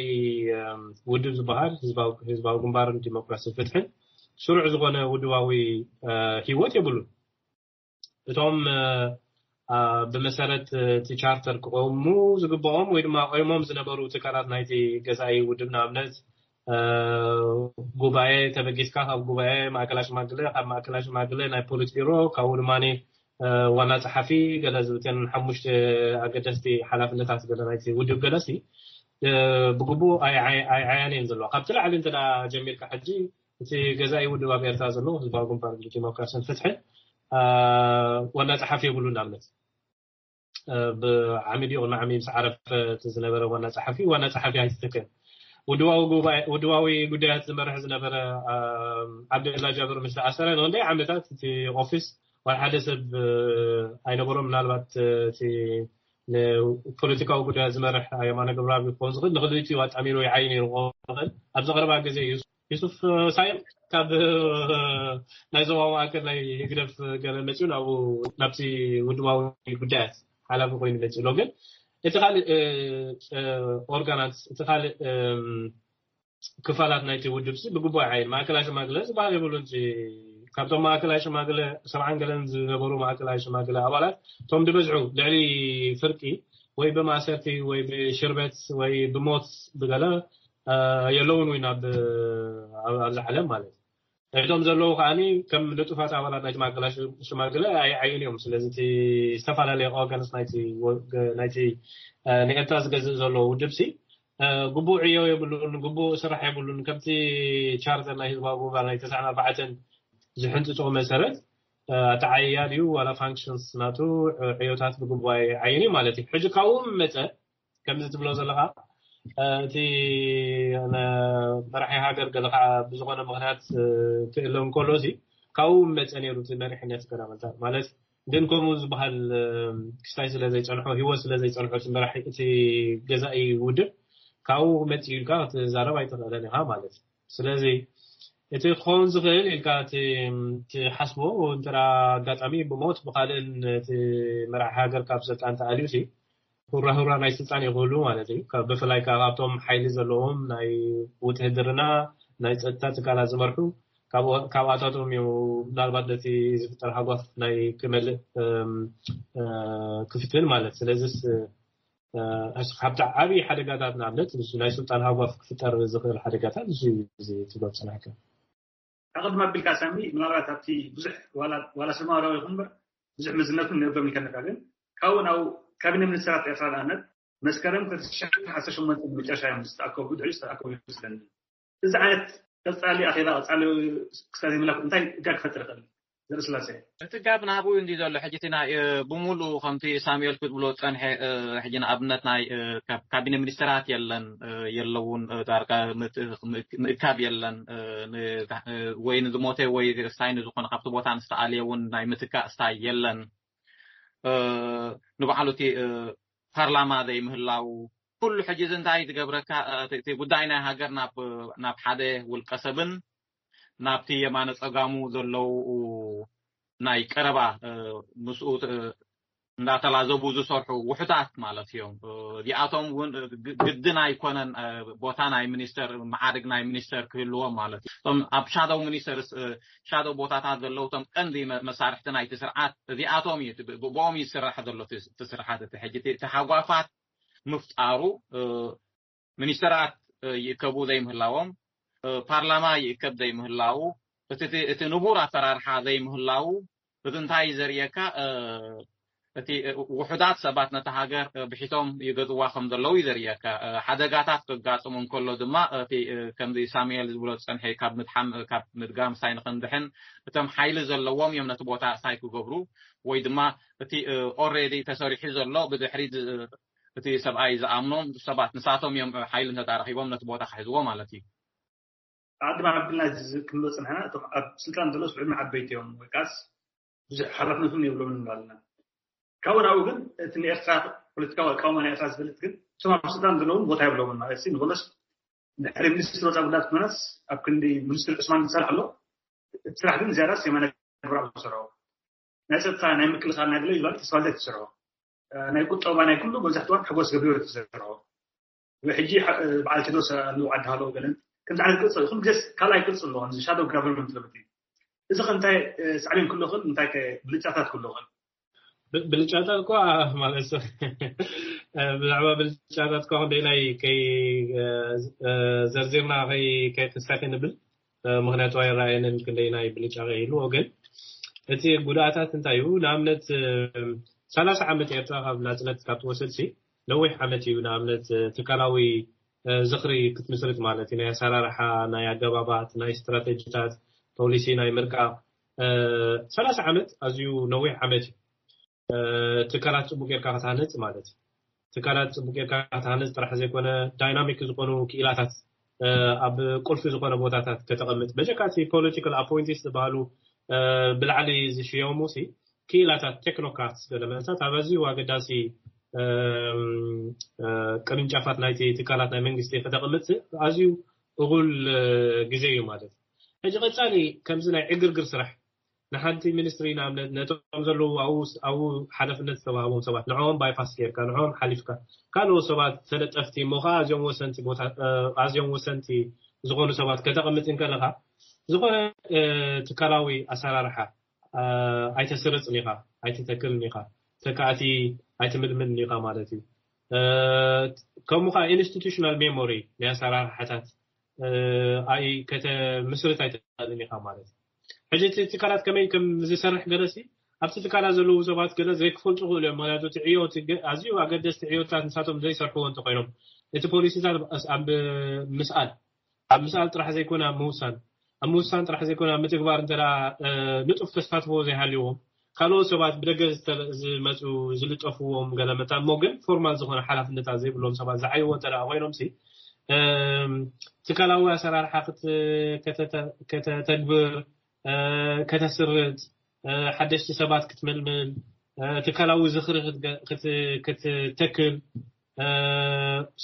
ውድብ ዝበሃል ህዝባዊ ግንባርን ዲሞክራሲ ፍትሕን ስሩዕ ዝኾነ ውድባዊ ህይወት የብሉን። እቶም ብመሰረት እቲ ቻርተር ክቆሙ ዝግብኦም ወይ ድማ ቆይሞም ዝነበሩ ትካላት ናይቲ ገዛኢ ውድብ ንኣብነት ጉባኤ ተበጊስካ ካብ ጉባኤ ማእከላ ሽማግለ ካብ ማእከላ ሽማግለ ናይ ፖሊት ቢሮ ካብኡ ድማ ዋና ፀሓፊ ገለ ዝብተን ሓሙሽተ ኣገደስቲ ሓላፍነታት ገለ ናይቲ ውድብ ገለሲ ብግቡእ ኣይዓያን እየን ዘለዋ። ካብቲ ላዕሊ እንተ ጀሚርካ ሕጂ እቲ ገዛኢ ውድብ ኣብ ኤርትራ ዘለዎ ህዝባዊ ግንባር ዲሞክራሲን ፍትሕን ዋና ፀሓፊ የብሉ። ንኣብነት ብዓሚድ ይኹን ዓሚ ምስ ዓረፈ እቲ ዝነበረ ዋና ፀሓፊ ዋና ፀሓፊ ኣይትተከን። ውድባዊ ጉዳያት ዝመርሕ ዝነበረ ዓብደላ ጃብር ምስ ተኣሰረ ንክንደይ ዓመታት እቲ ኦፊስ ዋላ ሓደ ሰብ ኣይነበሮም። ምናልባት እቲ ንፖለቲካዊ ጉዳያት ዝመርሕ የማነ ገብረኣብ ክኸውን ዝኽእል ንክልቲኡ ኣጣሚሩ ይዓይ ነይሩ ክኸውን ይኽእል። ኣብዚ ቀረባ ግዜ ዩሱፍ ሳይም ካብ ናይ ዞባ ማእከል ናይ ህግደፍ ገለ መፅኡ ናብኡ ናብቲ ውድባዊ ጉዳያት ሓላፊ ኮይኑ መፅኡ ኣሎ። ግን እቲ ካልእ ኦርጋናት እቲ ካልእ ክፋላት ናይቲ ውድብ ሲ ብግቡእ ዓይን ማእከላይ ሽማግለ ዝበሃል የብሉን። ካብቶም ማእከላይ ሽማግለ ሰብዓን ገለን ዝነበሩ ማእከላይ ሽማግለ ኣባላት እቶም ዝበዝሑ ልዕሊ ፍርቂ ወይ ብማእሰርቲ ወይ ብሽርበት ወይ ብሞት ብገለ የለውን ወይ ናብ ኣብዚ ዓለም ማለት እዩ። እቶም ዘለዉ ከዓኒ ከም ንጡፋት ኣባላት ናይቲ ማእከላይ ሽማግለ ኣይዓይን እዮም። ስለዚ እቲ ዝተፈላለየ ኦርጋንስ ናይቲ ንኤርትራ ዝገዝእ ዘሎ ውድብ ሲ ግቡእ ዕዮ የብሉን፣ ግቡእ ስራሕ የብሉን። ከምቲ ቻርተር ናይ ህዝባዊ ግንባር ናይ ተስዓን ኣርባዕተን ዝሕንፅፆ መሰረት ኣተዓይያ ድዩ ዋላ ፋንክሽንስ ናቱ ዕዮታት ብግቡእ ኣይዓይን እዩ ማለት እዩ። ሕጂ ካብኡ መፀ ከምዚ ትብሎ ዘለኻ እቲ መራሒ ሃገር ገለ ከዓ ብዝኾነ ምክንያት ክእለ እንከሎ ሲ ካብኡ መፀ ነይሩ እቲ መሪሕነት ገና ማለት ግን ከምኡ ዝበሃል ክስታይ ስለ ዘይፀንሖ ህይወት ስለ ዘይፀንሖ እቲ መራሒ እቲ ገዛኢ ውድብ ካብኡ መፂኡ ኢልካ ክትዛረብ ኣይትኽእለን ኢኻ ማለት እዩ። ስለዚ እቲ ክኸውን ዝኽእል ኢልካ ትሓስቦ እንተ ኣጋጣሚ ብሞት ብካልእን እቲ መራሒ ሃገር ካብ ስልጣን ተኣልዩ ሲ ሁራ ሁራ ናይ ስልጣን ይኽእሉ ማለት እዩ። ብፍላይ ካብቶም ሓይሊ ዘለዎም ናይ ውትህድርና ናይ ፀጥታ ትካላት ዝመርሑ ካብኣታቶም እዩ ምናልባት ነቲ ዝፍጠር ሃጓፍ ናይ ክመልእ ክፍትን ማለት ስለዚስ ካብቲ ዓብዪ ሓደጋታት ንኣብነት ናይ ስልጣን ሃጓፍ ክፍጠር ዝኽእል ሓደጋታት እዚ ትብሎ ፅናሕካ ኣቐድማ ኣቢልካ ሳሚ ምናልባት ኣብቲ ብዙሕ ዋላ ሰማራዊ ይኹን በር ብዙሕ መዝነቱ ንእብሎም ይከነካ ግን ካብኡ ናብ ካቢነ ሚኒስትራት ኤርትራ ንኣብነት መስከረም ክልተ ሽሕን ዓሰርተ ሸሞንተን መጨረሻ እዮም ዝተኣከቡ ድሕሪ ዝተኣከቡ ይመስለኒ እዚ ዓይነት ቀጻሊ ኣኼባ፣ ቀጻሊ ክሳብ ዘይምላኩ እንታይ እጋ ክፈጥር ይኽእል? ዘርኢ ስላሴ። እቲ ጋብ ናብኡ እንዲ ዘሎ ሕጂ እቲ ናይ ብሙሉ ከምቲ ሳሙኤል ክትብሎ ጸንሐ። ሕጂ ንኣብነት ናይ ካቢነ ሚኒስተራት የለን፣ የለውን፣ ዳርጋ ምእካብ የለን። ወይ ንዝሞተ ወይ ስታይ ንዝኾነ ካብቲ ቦታ ንዝተኣልየ እውን ናይ ምትካእ ስታይ የለን። ንባዕሉ እቲ ፓርላማ ዘይምህላው፣ ኩሉ ሕጂ እዚ እንታይ ዝገብረካ? እቲ ጉዳይ ናይ ሃገር ናብ ሓደ ውልቀ ሰብን ናብቲ የማነ ጸጋሙ ዘለዉ ናይ ቀረባ ምስኡ እንዳተላዘቡ ዝሰርሑ ውሕዳት ማለት እዮም። እዚኣቶም እውን ግድን ኣይኮነን ቦታ ናይ ሚኒስተር፣ መዓርግ ናይ ሚኒስተር ክህልዎም ማለት እዩ። እቶም ኣብ ሻዶው ሚኒስተርስ፣ ሻዶው ቦታታት ዘለዉ እቶም ቀንዲ መሳርሕቲ ናይቲ ስርዓት እዚኣቶም እዩ። ብኦም ይስራሕ ዘሎ እቲ ስርዓት። እቲ ሕጂ ተሓጓፋት ምፍጣሩ፣ ሚኒስተራት ይእከቡ ዘይምህላዎም፣ ፓርላማ ይእከብ ዘይምህላው፣ እቲ ንቡር ኣሰራርሓ ዘይምህላው፣ እዚ እንታይ ዘርእየካ? እቲ ውሑዳት ሰባት ነታ ሃገር ብሒቶም ይገዝዋ ከም ዘለዉ እዩ ዘርእየካ። ሓደጋታት ክጋጥሙ እንከሎ ድማ እቲ ከምዚ ሳሙኤል ዝብሎ ዝጸንሐ ካብ ምድሓም፣ ካብ ምድጋም ሳይ ንኽንድሕን፣ እቶም ሓይሊ ዘለዎም እዮም ነቲ ቦታ ሳይ ክገብሩ፣ ወይ ድማ እቲ ኦሬዲ ተሰሪሑ ዘሎ ብድሕሪ እቲ ሰብኣይ ዝኣምኖም ሰባት ንሳቶም እዮም ሓይሊ እንተዳረኺቦም ነቲ ቦታ ክሕዝዎ ማለት እዩ። ኣድማ ኣብልና ክንብሎ ጽንሕና፣ እቶም ኣብ ስልጣን ዘለዉ ስዑድና ዓበይቲ እዮም ወይ ካስ ብዙሕ ሓላፍነትን የብሎምን ንብላልና። ካብኡ ናብኡ ግን እቲ ንኤርትራ ፖለቲካዊ ኣቃውማ ናይ ኤርትራ ዝፈልጥ ግን እቶም ኣብ ስልጣን ዘለውን ቦታ የብሎምን ማለት እዩ። ንበለስ ድሕሪ ሚኒስትሪ ወፃኢ ጉዳያት ኮነስ ኣብ ክንዲ ሚኒስትሪ ዑስማን ዝሰርሕ ኣሎ። እቲ ስራሕ ግን ዝያዳስ የማነ ገብረኣብ ዝሰርሖ፣ ናይ ፀጥታ ናይ ምክልኻል ናይ ገለ ይባል ተስፋልደ ትሰርሖ፣ ናይ ቁጠባ ናይ ኩሉ መብዛሕትዋን ሓጎስ ገብሪወት ትሰርሖ። ሕጂ በዓል ቴድሮስ ኣለዉ ዓዲ ሃለዉ ገለን ከምዚ ዓይነት ቅርፂ ይኹን ግስ ካልኣይ ቅርፂ ኣለዎ። እዚ ሻዶ ጋቨርንመንት ለብት እዩ። እዚ ከ እንታይ ሳዕቤን ክህልዎ ይኽእል? እንታይ ከ ብልጫታት ክህልዎ ይኽእል? ብልጫታት እኳ ማለት ብዛዕባ ብልጫታት እኳ ክንደይናይ ከይ ዘርዚርና ከይ ከይተሳኺ ንብል። ምክንያቱ ኣይረኣየንን ክንደይናይ ብልጫ ከይህልዎ። ግን እቲ ጉድኣታት እንታይ እዩ? ንኣብነት ሰላሳ ዓመት ኤርትራ ካብ ናፅነት ካብ ትወስድሲ ነዊሕ ዓመት እዩ። ንኣብነት ትካላዊ ዝኽሪ ክትምስርት ማለት እዩ። ናይ ኣሰራርሓ፣ ናይ ኣገባባት፣ ናይ ስትራተጂታት፣ ፖሊሲ ናይ ምርቃቕ ሰላሳ ዓመት ኣዝዩ ነዊሕ ዓመት እዩ። ትካላት ጽቡቅ ጌርካ ክትሃንጽ ማለት እዩ። ትካላት ጽቡቅ ጌርካ ክትሃንጽ ጥራሕ ዘይኮነ ዳይናሚክ ዝኾኑ ክኢላታት ኣብ ቁልፊ ዝኾነ ቦታታት ከተቐምጥ በጀካ እቲ ፖለቲካል ኣፖይንቲስ ዝበሃሉ ብላዕሊ ዝሽየሙ ሲ ክኢላታት ቴክኖክራትስ ገለ መለታት ኣብ ኣዝዩ ኣገዳሲ ቅርንጫፋት ናይቲ ትካላት ናይ መንግስቲ ከተቐምጥ ኣዝዩ እኹል ግዜ እዩ ማለት እዩ። ሕጂ ቀጻሊ ከምዚ ናይ ዕግርግር ስራሕ ንሓንቲ ሚኒስትሪ ንኣብነት ነቶም ዘለዉ ኣብኡ ሓላፍነት ዝተዋህቦም ሰባት ንዕኦም ባይፓስ ጌርካ ንዕኦም ሓሊፍካ ካልኦት ሰባት ተለጠፍቲ እሞ ከዓ ኣዝዮም ወሰንቲ ቦታ ኣዝዮም ወሰንቲ ዝኾኑ ሰባት ከተቐምጥ እንከለካ ዝኾነ ትካላዊ ኣሰራርሓ ኣይተስርፅን ኢኻ ኣይትተክልን ኢኻ ተካእቲ ኣይትምልምልን ኢኻ ማለት እዩ። ከምኡ ከዓ ኢንስቲቱሽናል ሜሞሪ ናይ ኣሰራርሓታት ኣይ ከተምስርት ኣይትኽእልን ኢኻ ማለት እዩ። ሕጂ እቲ ትካላት ከመይ ከም ዝሰርሕ ገለሲ ኣብቲ ትካላት ዘለዉ ሰባት ገለ ዘይክፈልጡ ክእሉ እዮም። ምክንያቱ እቲ ዕዮ ኣዝዩ ኣገደስቲ ዕዮታት ንሳቶም ዘይሰርሕዎ እንተኮይኖም እቲ ፖሊሲታት ኣብ ምስኣል ኣብ ምስኣል ጥራሕ ዘይኮነ ኣብ ምውሳን ኣብ ምውሳን ጥራሕ ዘይኮነ ኣብ ምትግባር እንተ ንጡፍ ተሳትፎ ዘይሃልዎም ካልኦት ሰባት ብደገ ዝመፁ ዝልጠፍዎም ገለ መታን እሞ ግን ፎርማል ዝኾነ ሓላፍነታት ዘይብሎም ሰባት ዝዓይዎ እንተ ኮይኖም ሲ ትካላዊ ኣሰራርሓ ከተተግብር ከተስርጥ ሓደሽቲ ሰባት ክትምልምል ትካላዊ ዝኽሪ ክትተክል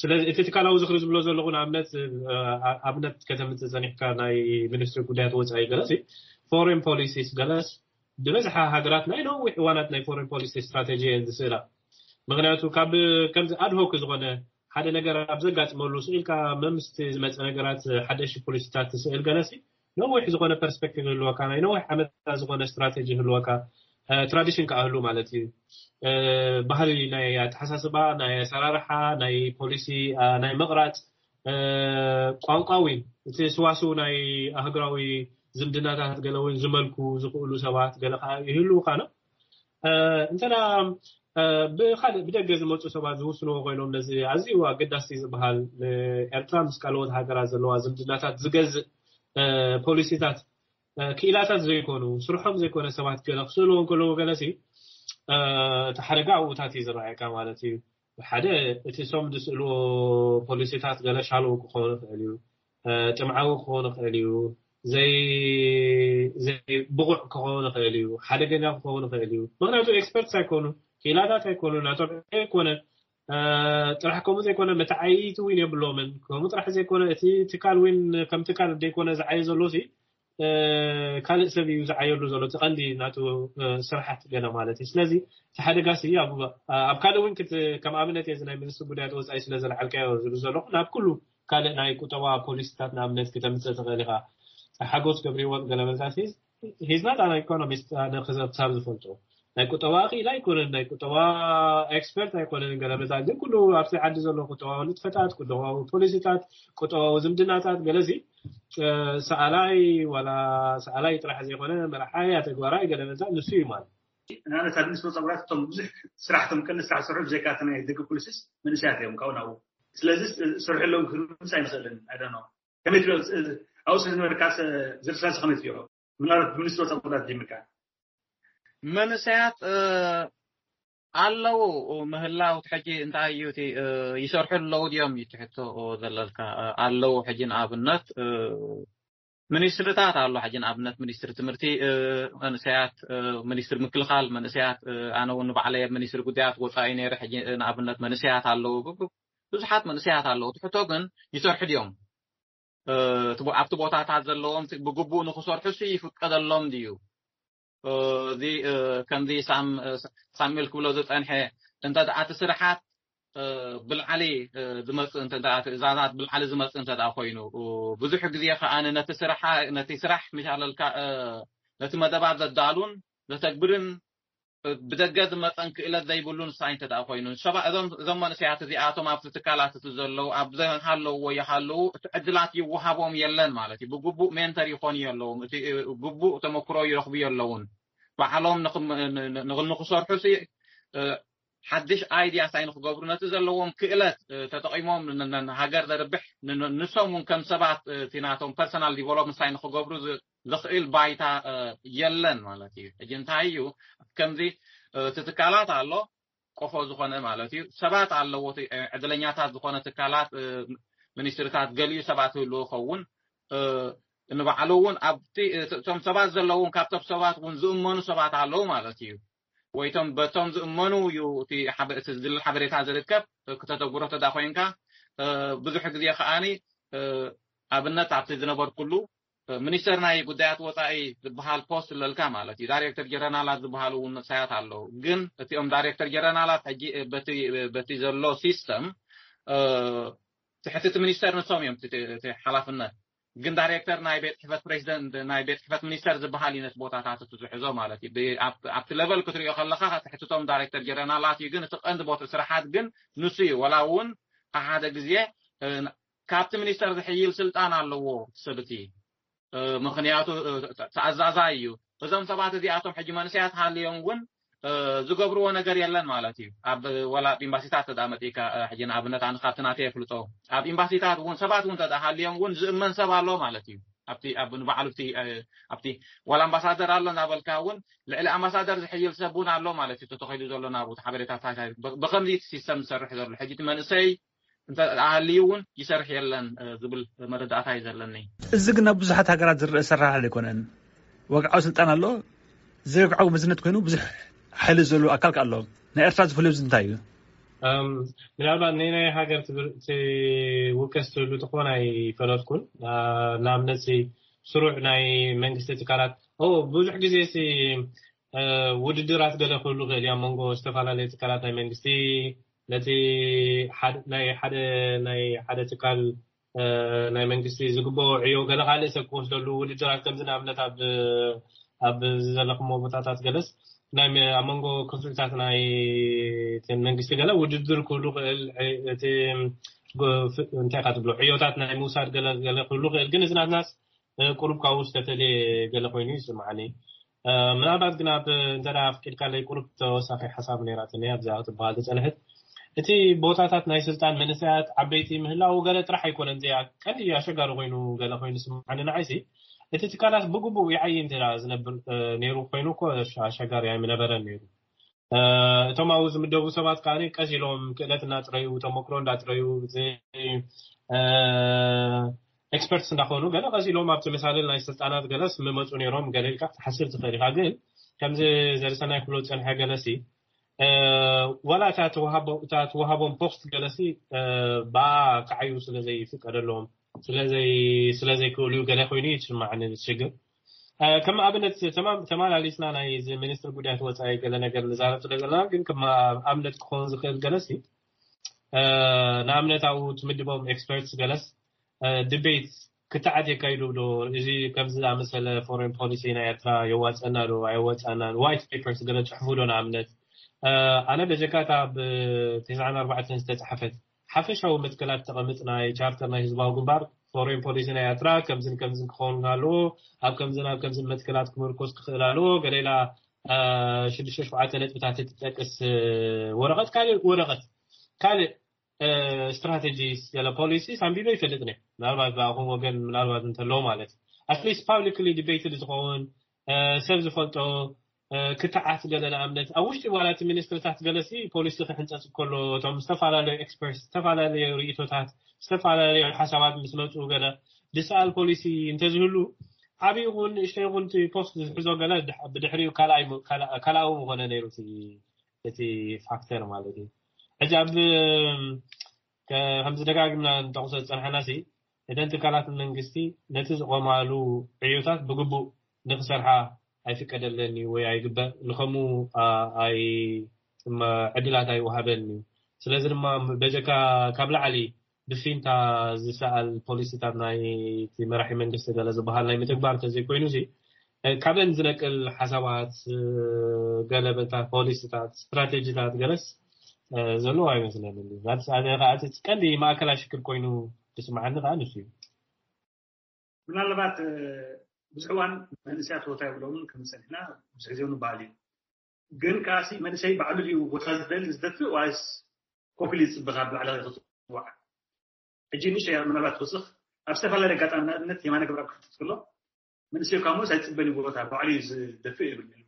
ስለዚ እቲ ትካላዊ ዝኽሪ ዝብሎ ዘለኹ ንኣብነት ኣብነት ከተምፅእ ፀኒሕካ ናይ ሚኒስትሪ ጉዳያት ወፃኢ ገለስ ፎሬን ፖሊሲስ ገለስ ዝበዝሓ ሃገራት ናይ ነዊሕ እዋናት ናይ ፎሬን ፖሊሲ ስትራቴጂ እየን ዝስእላ። ምክንያቱ ካብ ከምዚ ኣድሆክ ዝኾነ ሓደ ነገር ኣብ ዘጋጥመሉ ስኢልካ መምስቲ ዝመፀ ነገራት ሓደሽ ፖሊሲታት ትስእል ገለሲ ነዊሕ ዝኾነ ፐርስፔክቲቭ ህልወካ ናይ ነዊሕ ዓመታት ዝኾነ ስትራቴጂ ህልወካ ትራዲሽን ከኣህሉ ማለት እዩ። ባህሊ ናይ ኣተሓሳስባ ናይ ኣሰራርሓ ናይ ፖሊሲ ናይ ምቕራፅ ቋንቋ እውን እቲ ስዋስው ናይ ኣህግራዊ ዝምድናታት ገለ እውን ዝመልኩ ዝኽእሉ ሰባት ገለ ከዓ ይህልውካ ነው። እንተና ብካልእ ብደገ ዝመፁ ሰባት ዝውስንዎ ኮይኖም ነዚ ኣዝዩ ኣገዳሲ ዝበሃል ንኤርትራ ምስ ካልኦት ሃገራት ዘለዋ ዝምድናታት ዝገዝእ ፖሊሲታት ክኢላታት ዘይኮኑ፣ ስርሖም ዘይኮነ ሰባት ገለ ክስእልዎ እንከለዉ ገለሲ፣ እቲ ሓደጋ ኣብኡታት እዩ ዝረኣየካ ማለት እዩ። ሓደ፣ እቲ እሶም ዝስእልዎ ፖሊሲታት ገለ ሻሎው ክኸውን ይኽእል እዩ፣ ጥምዓዊ ክኸውን ይኽእል እዩ፣ ዘይ ብቑዕ ክኸውን ይኽእል እዩ፣ ሓደገኛ ክኸውን ይኽእል እዩ። ምክንያቱ ኤክስፐርትስ ኣይኮኑ፣ ክኢላታት ኣይኮኑ፣ ናቶም ኣይኮነ። ጥራሕ ከምኡ ዘይኮነ፣ መተዓይይቲ እውን የብሎምን። ከምኡ ጥራሕ ዘይኮነ፣ እቲ ትካል እውን ከም ትካል ዘይኮነ ዝዓየ ዘሎ ሲ ካልእ ሰብ እዩ ዝዓየሉ ዘሎ፣ እቲ ቀንዲ ናቱ ስራሓት ገለ ማለት እዩ። ስለዚ እቲ ሓደጋ ሲ ኣብ ካልእ እውን ከም ኣብነት እየ ናይ ሚኒስትሪ ጉዳያት ወፃኢ ስለ ዘልዓልካዮ ዝብል ዘለኹ፣ ናብ ኩሉ ካልእ ናይ ቁጠባ ፖሊሲታት ንኣብነት ክተምፅእ ትኽእል ኢኻ። ሓጎስ ገብሪወት ገለ መዛት ሂዝ ናት ኣን ኢኮኖሚስት፣ ኣነ ክሳብ ዝፈልጦ ናይ ቁጠባ ክኢላ ኣይኮነን፣ ናይ ቁጠባ ኤክስፐርት ኣይኮነን። ገለ መዛት ግን ኩሉ ኣብዚ ዓዲ ዘሎ ቁጠባዊ ንጥፈታት፣ ቁጠባዊ ፖሊሲታት፣ ቁጠባዊ ዝምድናታት ገለዚ ሰኣላይ ዋላ ሰኣላይ ጥራሕ ዘይኮነ መርሓይ ኣተግባራይ ገለ መዛት ንሱ እዩ ማለት። ንኣብነት ኣብ ሚኒስትሪ ፀጉራት እቶም ብዙሕ ስራሕ እቶም ቀንዲ ስራሕ ዝሰርሑ ብዘይካ እቲ ናይ ደገ ፖሊሲስ መንእሰያት እዮም ካብኡ ናብኡ። ስለዚ ስርሑ ኣለዉ ክንምስ ኣይንኽእልን። ኣይ ዶንት ኖ ከመይ ትሪኦ? ኣብኡ ስለ ዝነበርካ ዝርሳስ ከመይ ትሪኦ? ምናልባት ብሚኒስትሪ ፀጉራት ጀሚርካ መንእሰያት ኣለዉ ምህላው እቲ ሕጂ እንታይ እዩ እቲ ይሰርሑ ኣለዉ ድዮም እዩ ትሕቶ ዘለልካ? ኣለዉ ሕጂ ንኣብነት ሚኒስትርታት ኣሎ ሕጂ ንኣብነት ሚኒስትሪ ትምህርቲ መንእሰያት፣ ሚኒስትሪ ምክልኻል መንእሰያት፣ ኣነ እውን ንባዕለይ ኣብ ሚኒስትሪ ጉዳያት ወፃኢ ነይረ። ሕጂ ንኣብነት መንእሰያት ኣለዉ፣ ብዙሓት መንእሰያት ኣለዉ። እቲ ሕቶ ግን ይሰርሑ ድዮም? ኣብቲ ቦታታት ዘለዎም ብግቡእ ንክሰርሑ ሲ ይፍቀደሎም ድዩ? እዚ ከምዚ ሳሙኤል ክብሎ ዝፀንሐ እንተ ደኣ እቲ ስራሓት ብልዓሊ ዝመፅእ እንተ ደኣ ትእዛዛት ብልዓሊ ዝመፅእ እንተ ደኣ ኮይኑ ብዙሕ ግዜ ከዓ ነቲ ስራሕ ነቲ ስራሕ ምሻለልካ ነቲ መደባት ዘዳሉን ዘተግብርን ብደገ ዝመፀን ክእለት ዘይብሉ ንሳይ እንተ ደኣ ኮይኑ እዞም መንእሰያት እዚኣቶም ኣብቲ ትካላት እቲ ዘለዉ ኣብ ዘሃለውዎ ይሃለዉ እቲ ዕድላት ይወሃቦም የለን ማለት እዩ። ብግቡእ ሜንተር ይኾኑ የለውን፣ እቲ ግቡእ ተመክሮ ይረኽቡ የለውን። ባዕሎም ንክሰርሑ ሓድሽ ኣይድያ ሳይ ንክገብሩ ነቲ ዘለዎም ክእለት ተጠቂሞም ሃገር ዘርብሕ ንሶም እውን ከም ሰባት እቲ ናቶም ፐርሰናል ዲቨሎፕመንት ሳይ ንክገብሩ ዘኽእል ባይታ የለን ማለት እዩ። ሕጂ እንታይ እዩ ከምዚ እቲ ትካላት ኣሎ ቆፎ ዝኾነ ማለት እዩ ሰባት ኣለዎ ዕድለኛታት ዝኾነ ትካላት ሚኒስትርታት ገሊኡ ሰባት ህልዎ ይኸውን ንባዕሉ እውን ኣብቲ እቶም ሰባት ዘለውን ካብቶም ሰባት እውን ዝእመኑ ሰባት ኣለዉ ማለት እዩ። ወይቶም በቶም ዝእመኑ እዩ እቲ ዝድለ ሓበሬታ ዝርከብ ክተተግብሮ ተዳ ኮይንካ ብዙሕ ግዜ ከዓኒ ኣብነት ኣብቲ ዝነበርኩሉ ሚኒስተር ናይ ጉዳያት ወፃኢ ዝበሃል ፖስት ኣለልካ ማለት እዩ። ዳይሬክተር ጀረናላት ዝበሃሉ እውን ንሳያት ኣለዉ። ግን እቲኦም ዳይሬክተር ጀረናላት ሕጂ በቲ ዘሎ ሲስተም ትሕቲ እቲ ሚኒስተር ንሶም እዮም እቲ ሓላፍነት። ግን ዳይሬክተር ናይ ቤት ፅሕፈት ፕሬዚደንት ናይ ቤት ፅሕፈት ሚኒስተር ዝበሃል እዩ ነቲ ቦታታት እቲ ዝሕዞ ማለት እዩ። ኣብቲ ለቨል ክትሪኦ ከለካ ትሕትቶም ዳይሬክተር ጀረናላት እዩ። ግን እቲ ቀንዲ ቦታ ስራሓት ግን ንሱ እዩ። ወላ እውን ሓደ ግዜ ካብቲ ሚኒስተር ዝሕይል ስልጣን ኣለዎ ሰብቲ ምክንያቱ ተኣዛዛይ እዩ። እዞም ሰባት እዚኣቶም ሕጂ መንእሰያት ሃልዮም እውን ዝገብርዎ ነገር የለን ማለት እዩ። ኣብ ወላ ኣብ ኤምባሲታት ተዳ መጢካ ሕጂ ንኣብነት ኣነ ካብቲ ናተይ የፍልጦ ኣብ ኤምባሲታት እውን ሰባት እውን ተዳ ሃልዮም እውን ዝእመን ሰብ ኣሎ ማለት እዩ። ኣብቲ ኣብ ንባዕሉ ኣብቲ ኣብቲ ዋላ ኣምባሳደር ኣሎ እናበልካ እውን ልዕሊ ኣምባሳደር ዝሕይል ሰብ እውን ኣሎ ማለት እዩ። ተተኸይዱ ዘሎ ናብ ሓበሬታታት ብከምዚ ሲስተም ዝሰርሕ ዘሎ ሕጂ እቲ መንእሰይ እንተ ኣሃልዩ እውን ይሰርሕ የለን ዝብል መረዳእታ እዩ ዘለኒ። እዚ ግን ኣብ ብዙሓት ሃገራት ዝረአ ሰራሕ ኣይኮነን። ወግዓዊ ስልጣን ኣሎ፣ ዘይወግዓዊ መዝነት ኮይኑ ብዙሕ ሓይሊ ዘለዎ ኣካል ኣሎ። ናይ ኤርትራ ዝፍለዩ እንታይ እዩ? ምናልባት ናይ ናይ ሃገር ትውቀስ ትህሉ ትኾን ኣይፈለጥኩን። ንኣብነት ስሩዕ ናይ መንግስቲ ትካላት ብዙሕ ግዜ ውድድራት ገለ ክህሉ ክእል እዩ ኣብ መንጎ ዝተፈላለዩ ትካላት ናይ መንግስቲ ነቲ ናይ ሓደ ናይ ሓደ ትካል ናይ መንግስቲ ዝግበኦ ዕዮ ገለ ካልእ ሰብ ክወስደሉ ውድድራት ከምዚ ንኣብነት ኣብ ኣብ ዘለኹሞ ቦታታት ገለስ ናይ ኣብ መንጎ ክፍልታት ናይ መንግስቲ ገለ ውድድር ክህሉ ክእል እቲ እንታይ ካ ትብሎ ዕዮታት ናይ ምውሳድ ገለ ገለ ክህሉ ክእል ግን እዚ ናትናስ ቁሩብ ካብኡ ዝተፈልየ ገለ ኮይኑ ይስምዓኒ። ምናልባት ግን ኣብ እንተ ኣፍቂድካለይ ቁሩብ ተወሳኺ ሓሳብ ነይራትኒ ኣብዚኣ ክትበሃል ዝፀንሐት እቲ ቦታታት ናይ ስልጣን መንእሰያት ዓበይቲ ምህላው ገለ ጥራሕ ኣይኮነን። እዚኣ ቀንዲ ኣሸጋሪ ኮይኑ ገለ ኮይኑ ስምዓኒ ንዓይሲ። እቲ ትካላት ብግቡእ ይዓይ እንተ ዝነብር ነይሩ ኮይኑ እኮ ኣሸጋሪ ኣይምነበረን ነይሩ። እቶም ኣብኡ ዝምደቡ ሰባት ከዓ ቀስ ኢሎም ክእለት እናጥረዩ፣ ተመክሮ እንዳጥረዩ፣ ኤክስፐርትስ እንዳኾኑ ገለ ቀስ ኢሎም ኣብቲ መሳልል ናይ ስልጣናት ገለስ ምመፁ ነይሮም ገለ ኢልካ ክትሓስብ ትኽእል ኢኻ። ግን ከምዚ ዘርሰናይ ክብሎ ዝፀንሐ ገለሲ ዋላ እታ ተዋሃቦም ፖስት ገለሲ ብኣ ክዓዩ ስለዘይፍቀደሎም ስለዘይክእሉ ገለ ኮይኑ ይስማዕኒ ሽግር። ከም ኣብነት ተማላሊስና ናይ ሚኒስትር ጉዳያት ወፃኢ ገለ ነገር ንዛረብ ስለ ዘለና ግን ከም ኣብነት ክኸውን ዝኽእል ገለሲ ንኣብነት ኣብኡ ትምድቦም ኤክስፐርትስ ገለስ ድቤት ክትዓት የካይዱ ዶ? እዚ ከምዚ ዝኣመሰለ ፎሬን ፖሊሲ ናይ ኤርትራ የዋፀና ዶ ኣየወፀና? ዋይት ፔፐርስ ገለ ፅሕፉ ዶ? ንኣብነት ኣነ በጀካታ ብ ተስዓን ኣርባዕተን ዝተፃሓፈት ሓፈሻዊ መትከላት ተቐምጥ ናይ ቻርተር ናይ ህዝባዊ ግንባር ፎሬን ፖሊሲ ናይ ኤርትራ ከምዝን ከምዝን ክኸውን ኣለዎ፣ ኣብ ከምዝን ኣብ ከምዝን መትከላት ክምርኮስ ክኽእል ኣለዎ። ገሌላ ሽዱሽተ ሽፍዓተ ነጥብታት እትጠቅስ ወረቐት ካልእ ወረቐት ካልእ ስትራቴጂ ስለ ፖሊሲ ሳንቢበ ይፈልጥ ነ ምናልባት ብኣኹም ወገን ምናልባት እንተሎ ማለት ኣትሊስት ፓብሊክሊ ዲቤትድ ዝኸውን ሰብ ዝፈልጦ ክትዓት ገለ ንኣብነት ኣብ ውሽጢ ዋላ እቲ ሚኒስትርታት ገለሲ ፖሊሲ ክሕንፀፅ ከሎ እቶም ዝተፈላለዩ ኤክስፐርት ዝተፈላለዩ ርእቶታት ዝተፈላለዩ ሓሳባት ምስ መፁ ገለ ዝሰኣል ፖሊሲ እንተዝህሉ ዓብዪ ይኹን ንእሽተይ ይኹን እቲ ፖስት ዝሕዞ ገለ ብድሕሪኡ ካልኣዊ ምኾነ ነይሩ እቲ ፋክተር ማለት እዩ። ሕጂ ኣብ ከምዚ ደጋግምና ንጠቕሶ ዝፀንሐና ሲ እተን ትካላት መንግስቲ ነቲ ዝቆማሉ ዕዮታት ብግቡእ ንክሰርሓ ኣይፍቀደለን እዩ ወይ ኣይግበእ ንከምኡ ኣይ ዕድላት ኣይወሃበን እዩ። ስለዚ ድማ በጀካ ካብ ላዕሊ ብፊንታ ዝሰኣል ፖሊሲታት ናይ መራሒ መንግስቲ ገለ ዝበሃል ናይ ምትግባር ተዘይኮይኑ ሲ ካብን ዝነቅል ሓሳባት ገለበታ ፖሊሲታት ስትራቴጂታት ገለስ ዘለዎ ኣይመስለንን። እቲ ቀንዲ ማእከላ ሽክር ኮይኑ ዝስምዓኒ ከዓ ንሱ እዩ። ምናልባት ብዙሕ እዋን መንእሰያት ቦታ የብሎምን ከም ዝፀኒሕና ብዙሕ ግዜ ንበሃል እዩ። ግን ከዓሲ መንእሰይ ባዕሉ ድዩ ቦታ ዝደሊ ዝደፍእ ዋይስ ኮፍ ኢሉ ዝፅበ ካብ ላዕሊ ክትፅዋዕ? ሕጂ ንእሽተይ ምናልባት ክውስኽ ኣብ ዝተፈላለየ ኣጋጣሚ ንኣብነት የማነ ገብረኣብ ክሕተት ከሎ መንእሰይ ካብ ሞስ ኣይፅበን እዩ ቦታ ባዕሉ እዩ ዝደፍእ ይብል ነይሩ።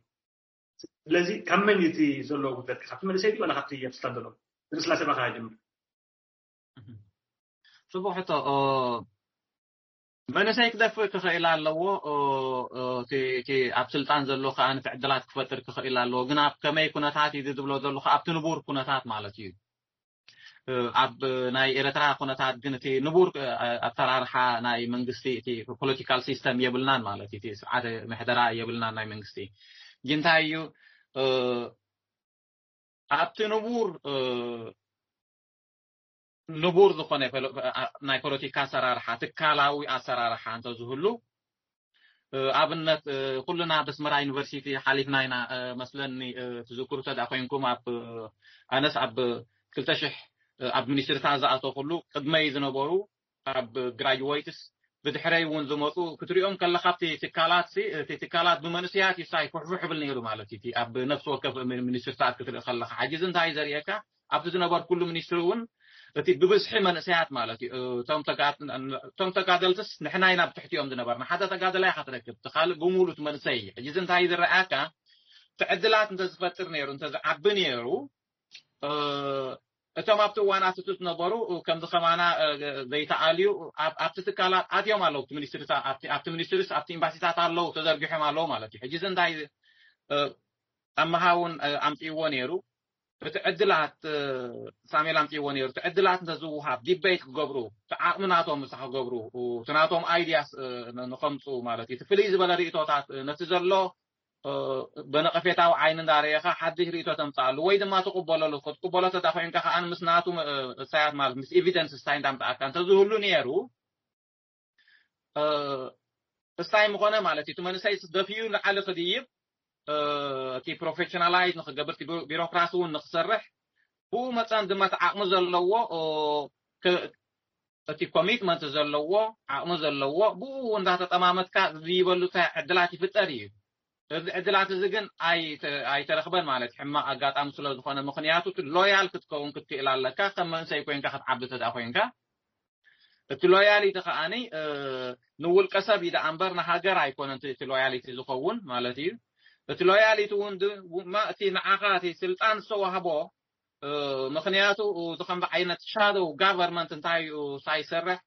ስለዚ ካብ መን እዩ እቲ ዘለዎ ጉድለት ካብቲ መንእሰይ ድዩ ዋላ ካብቲ ኣብ ስልጣን ዘሎ? ንስላሴ ባኻ ጀምር። ፅቡቅ ሕቶ። መንእሰይ ክደፍእ ክኽእል ኣለዎ። እቲ ኣብ ስልጣን ዘሎ ከዓ እቲ ዕድላት ክፈጥር ክኽእል ኣለዎ። ግን ኣብ ከመይ ኩነታት እዩ ዝብሎ ዘለኹ ኣብቲ ንቡር ኩነታት ማለት እዩ። ኣብ ናይ ኤረትራ ኩነታት ግን እቲ ንቡር ኣሰራርሓ ናይ መንግስቲ እቲ ፖለቲካል ሲስተም የብልናን ማለት እቲ ስርዓተ ምሕደራ የብልናን ናይ መንግስቲ ግን እንታይ እዩ ኣብቲ ንቡር ንቡር ዝኾነ ናይ ፖለቲካ ኣሰራርሓ ትካላዊ ኣሰራርሓ እንተዝህሉ ኣብነት ኩልና በስመራ ዩኒቨርሲቲ ሓሊፍና ኢና መስለኒ ትዝክሩ ተዳ ኮይንኩም ኣብ ኣነስ ኣብ ክልተ ሽሕ ኣብ ሚኒስትርታት ዝኣተኹሉ ቅድመይ ዝነበሩ ኣብ ግራጅዌትስ ብድሕረይ እውን ዝመፁ ክትሪኦም ከለካ ኣብቲ ትካላት እቲ ትካላት ብመንእሰያት ይሳይ ኩሕፉሕ ብል ነይሩ ማለት እዩ ኣብ ነፍሲ ወከፍ ሚኒስትርታት ክትርኢ ከለካ ሕጂ እንታይ ዘርእየካ ኣብቲ ዝነበርኩሉ ሚኒስትሪ እውን እቲ ብብዝሒ መንእሰያት ማለት እዩ እቶም ተጋደልትስ ንሕና ኢና ብትሕቲኦም ዝነበርና ሓደ ተጋደላይ ኢካ ትረክብ እቲ ካልእ ብሙሉ እቲ መንእሰይ እዩ ሕጂ እንታይ ዝረኣካ እቲ ዕድላት እንተዝፈጥር ነይሩ እንተዝዓቢ ነይሩ እቶም ኣብቲ እዋን ኣትቱ ዝነበሩ ከምዚ ከማና ዘይተኣልዩ ኣብቲ ትካላት ኣትዮም ኣለዉ ኣብቲ ሚኒስትሪስ ኣብቲ ኤምባሲታት ኣለዉ ተዘርጊሖም ኣለዉ ማለት እዩ ሕጂ እንታይ ኣመሃ እውን ኣምፅእዎ ነይሩ እቲ ዕድላት ሳሜል ኣምፅእዎ ነይሩ እቲ ዕድላት እንተዝውሃብ ዲቤት ክገብሩ እቲ ዓቕሚ ናቶም ምሳ ክገብሩ እቲ ናቶም ኣይድያስ ንከምፁ ማለት እዩ እቲ ፍልይ ዝበለ ርእቶታት ነቲ ዘሎ ብነቐፌታዊ ዓይኒ እንዳረኤኻ ሓድሽ ርእቶ ተምፅኣሉ ወይ ድማ ትቕበለሉ ክትቅበሎ ተዳኾይንካ ከዓ ምስ ናቱ እሳያት ማለት ምስ ኤቪደንስ እሳይ እንዳምፅኣካ እንተዝህሉ ነይሩ እሳይ ምኾነ ማለት እዩ እቲ መንእሰይ ደፊኡ ንዓሊ ክድይብ እቲ ፕሮፌሽናላይዝ ንክገብር ቢሮክራሲ እውን ንክሰርሕ ብኡ መፀን ድማ እቲ ዓቕሚ ዘለዎ እቲ ኮሚትመንት ዘለዎ ዓቕሚ ዘለዎ ብኡ እንዳተጠማመትካ ዝይበሉ ዕድላት ይፍጠር እዩ እዚ ዕድላት እዚ ግን ኣይተ- ኣይተረኽበን ማለት ሕማቕ ኣጋጣሚ ስለ ዝኾነ፣ ምኽንያቱ እቲ ሎያል ክትከውን ክትክእል ኣለካ። ከም መንእሰይ ኮይንካ ክትዓቢ እንተ ደኣ ኮይንካ፣ እቲ ሎያሊቲ ከዓኒ ንውልቀ ሰብ እዩ ደኣ እምበር ንሃገር ኣይኮነን እቲ ሎያሊቲ ዝኸውን ማለት እዩ። እቲ ሎያሊቲ እውን ድማ እቲ ንዓኻ እቲ ስልጣን ዝተዋህቦ ምኽንያቱ እዚ ከምዚ ዓይነት ሻዶው ጋቨርንመንት እንታይ እዩ ሳይሰርሕ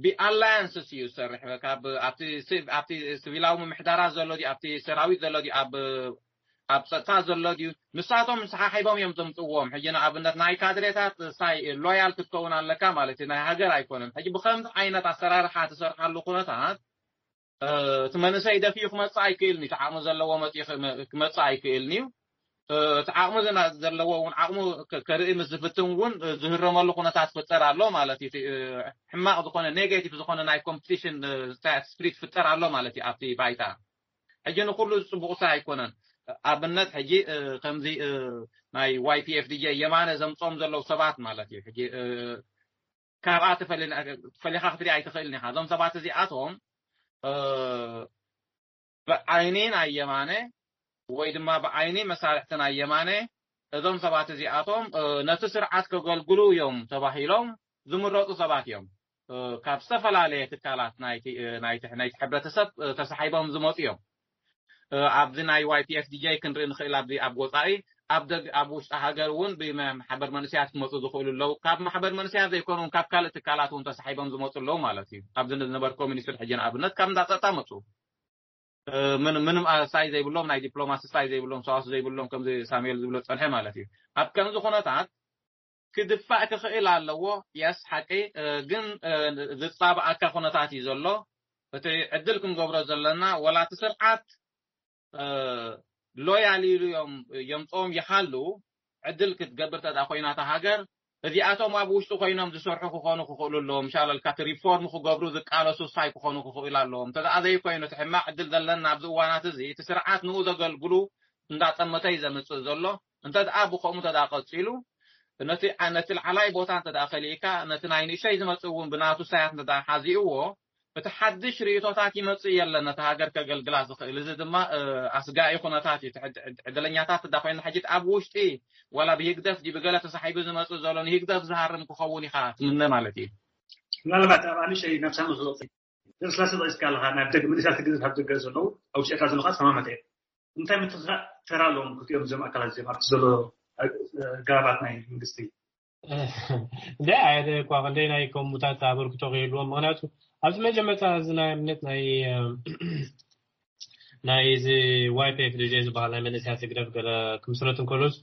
ብኣላያንስስ እዩ ዝሰርሕ። ካብ ኣብቲ ሲቪላዊ ምምሕዳራት ዘሎ ድዩ ኣብቲ ሰራዊት ዘሎ ድዩ ኣብ ኣብ ፀጥታ ዘሎ ድዩ ንሳቶም ሰሓሒቦም እዮም ዘምፅዎም። ሕጂ ንኣብነት ናይ ካድሬታት ሳይ ሎያል ክትከውን ኣለካ ማለት እዩ። ናይ ሃገር ኣይኮነን። ሕጂ ብከምዚ ዓይነት ኣሰራርሓ ትሰርሓሉ ኩነታት እቲ መንእሰይ ደፊኡ ክመፅእ ኣይክእልን እዩ። እቲ ዓቕሚ ዘለዎ መፂኡ ክመፅእ ኣይክእልን እዩ። እቲ ዓቕሚ ዘለና ዘለዎ እውን ዓቕሙ ከርኢ ምስ ዝፍትን እውን ዝህረመሉ ኩነታት ክፍጠር ኣሎ ማለት እዩ። ሕማቕ ዝኾነ ኔጌቲቭ ዝኾነ ናይ ኮምፒቲሽን ስፕሪት ክፍጠር ኣሎ ማለት እዩ ኣብቲ ባይታ። ሕጂ ንኩሉ ፅቡቕ ሰብ ኣይኮነን። ኣብነት ሕጂ ከምዚ ናይ ዋይፒኤፍዲጄ የማነ ዘምፆም ዘለዉ ሰባት ማለት እዩ። ሕጂ ካብኣ ፈሊኻ ክትሪኣ ኣይትኽእልን ኢኻ። እዞም ሰባት እዚኣቶም ብዓይኒ ናይ የማነ ወይ ድማ ብዓይኒ መሳርሕቲ ናይ የማነ እዞም ሰባት እዚኣቶም ነቲ ስርዓት ከገልግሉ እዮም ተባሂሎም ዝምረፁ ሰባት እዮም። ካብ ዝተፈላለየ ትካላት ናይቲ ሕብረተሰብ ተሳሒቦም ዝመፁ እዮም። ኣብዚ ናይ ዋይፒኤፍዲጄ ክንርኢ ንኽእል። ኣብዚ ኣብ ወፃኢ ኣብ ውሽጢ ሃገር እውን ብማሕበር መንእሰያት ክመፁ ዝኽእሉ ኣለዉ። ካብ ማሕበር መንእሰያት ዘይኮኑ እውን ካብ ካልእ ትካላት እውን ተሳሒቦም ዝመፁ ኣለዉ ማለት እዩ። ኣብዚ ዝነበርኮ ሚኒስትር ሕጂ ንኣብነት ካብ እንዳ ፀጥታ መፁ። ምንም ሳይ ዘይብሎም ናይ ዲፕሎማሲ ሳይ ዘይብሎም ሰዋሱ ዘይብሎም ከምዚ ሳሙኤል ዝብሎ ዝፀንሐ ማለት እዩ። ኣብ ከምዚ ኩነታት ክድፋእ ክኽእል ኣለዎ። የስ ሓቂ ግን ዝፃባኣካ ኩነታት እዩ ዘሎ። እቲ ዕድል ክንገብሮ ዘለና ወላ እቲ ስርዓት ሎያል ኢሉ እዮም የምፅኦም ይሃሉ ዕድል ክትገብር ተዳ ኮይና እታ ሃገር እዚኣቶም ኣብ ውሽጡ ኮይኖም ዝሰርሑ ክኾኑ ክኽእሉ ኣለዎም። ሻለልካ እቲ ሪፎርም ክገብሩ ዝቃለሱ ሳይ ክኾኑ ክኽእሉ ኣለዎም። እንተ ደኣ ዘይኮይኑ እቲ ሕማቕ ዕድል ዘለና ኣብዚ እዋናት እዚ እቲ ስርዓት ንኡ ዘገልግሉ እንዳጠመተ እዩ ዘምፅእ ዘሎ። እንተ ደኣ ብኸምኡ እንተ ደኣ ቀፂሉ ነቲ ነቲ ላዕላይ ቦታ እንተ ደኣ ከሊእካ ነቲ ናይ ንእሸይ ዝመፅእ እውን ብናቱ ሳያት እንተ ደኣ ሓዚእዎ እቲ ሓድሽ ርእቶታት ይመጽእ የለን ነቲ ሃገር ከገልግላ ዝኽእል። እዚ ድማ ኣስጋኢ ኩነታት እዩ። ዕድለኛታት እዳ ኮይና ሕጂ ኣብ ውሽጢ ዋላ ብህግደፍ ድዩ ብገለ ተሳሒቡ ዝመጽእ ዘሎ ንህግደፍ ዝሃርም ክኸውን ኢኻ ትምነ ማለት እዩ። ምናልባት ኣብ ኣንሸይ ናብ ሳሚ ክወፅእ ስላሴ ጠቂስካ ኣለኻ። ናብ ደገ መንእሰያት ግዝፍ ኣብ ደገ ዘለዉ ኣብ ውሽጢ ኤርትራ ዘለኻ ተማመተ እዮም። እንታይ ምትኽኻእ ተራ ኣለዎም ክልቲኦም እዞም ኣካላት እዚኦም ኣብቲ ዘሎ ጋባት ናይ መንግስቲ? እንታይ ዓይነት እኳ ክንደይ ናይ ከምኡታት ኣበርክቶ ክህልዎም። ምክንያቱ ኣብቲ መጀመርታ እዚ ናይ እምነት ናይ ናይ እዚ ዋይፒኤፍ ዲጄ ዝበሃል ናይ መንእሰያት ህግደፍ ገለ ክምስረት እንከሎስ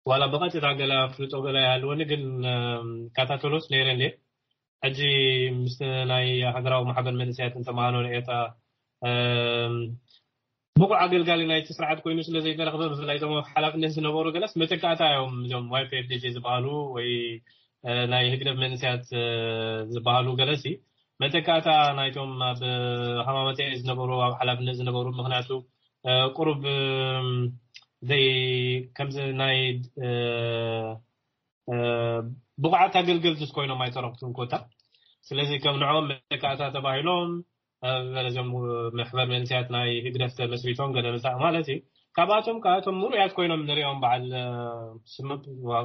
ዋላ ብቐጥታ ገለ ኣፍልጦ ገለ ይሃልወኒ ግን እከታተሎስ ነይረ እንድየ። ሕጂ ምስ ናይ ሃገራዊ ማሕበር መንእሰያትን ተምሃሮን ኤርትራ ብቑዕ ኣገልጋሊ ናይቲ ስርዓት ኮይኑ ስለ ዘይተረኽበ ብፍላይ እቶም ኣብ ሓላፍነት ዝነበሩ ገለስ መተካእታ እዮም እዞም ዋይ ፒ ኤፍ ዲ ጂ ዝበሃሉ ወይ ናይ ህግደፍ መንእሰያት ዝበሃሉ ገለሲ መተካእታ ናይቶም ኣብ ሃማመተ ዝነበሩ ኣብ ሓላፍነት ዝነበሩ ምክንያቱ ቁሩብ ዘይ ከምዚ ናይ ብቑዓት ኣገልገልቲ ኮይኖም ኣይተረኽቱን ኮታ ስለዚ ከም ንዕኦም መተካእታ ተባሂሎም ገለዚኦም መሕበር መንእሰያት ናይ ህግደፍ ተመስሪቶም ገለ መሳእ ማለት እዩ። ካብኣቶም ካብኣቶም ምሩያት ኮይኖም ንሪኦም በዓል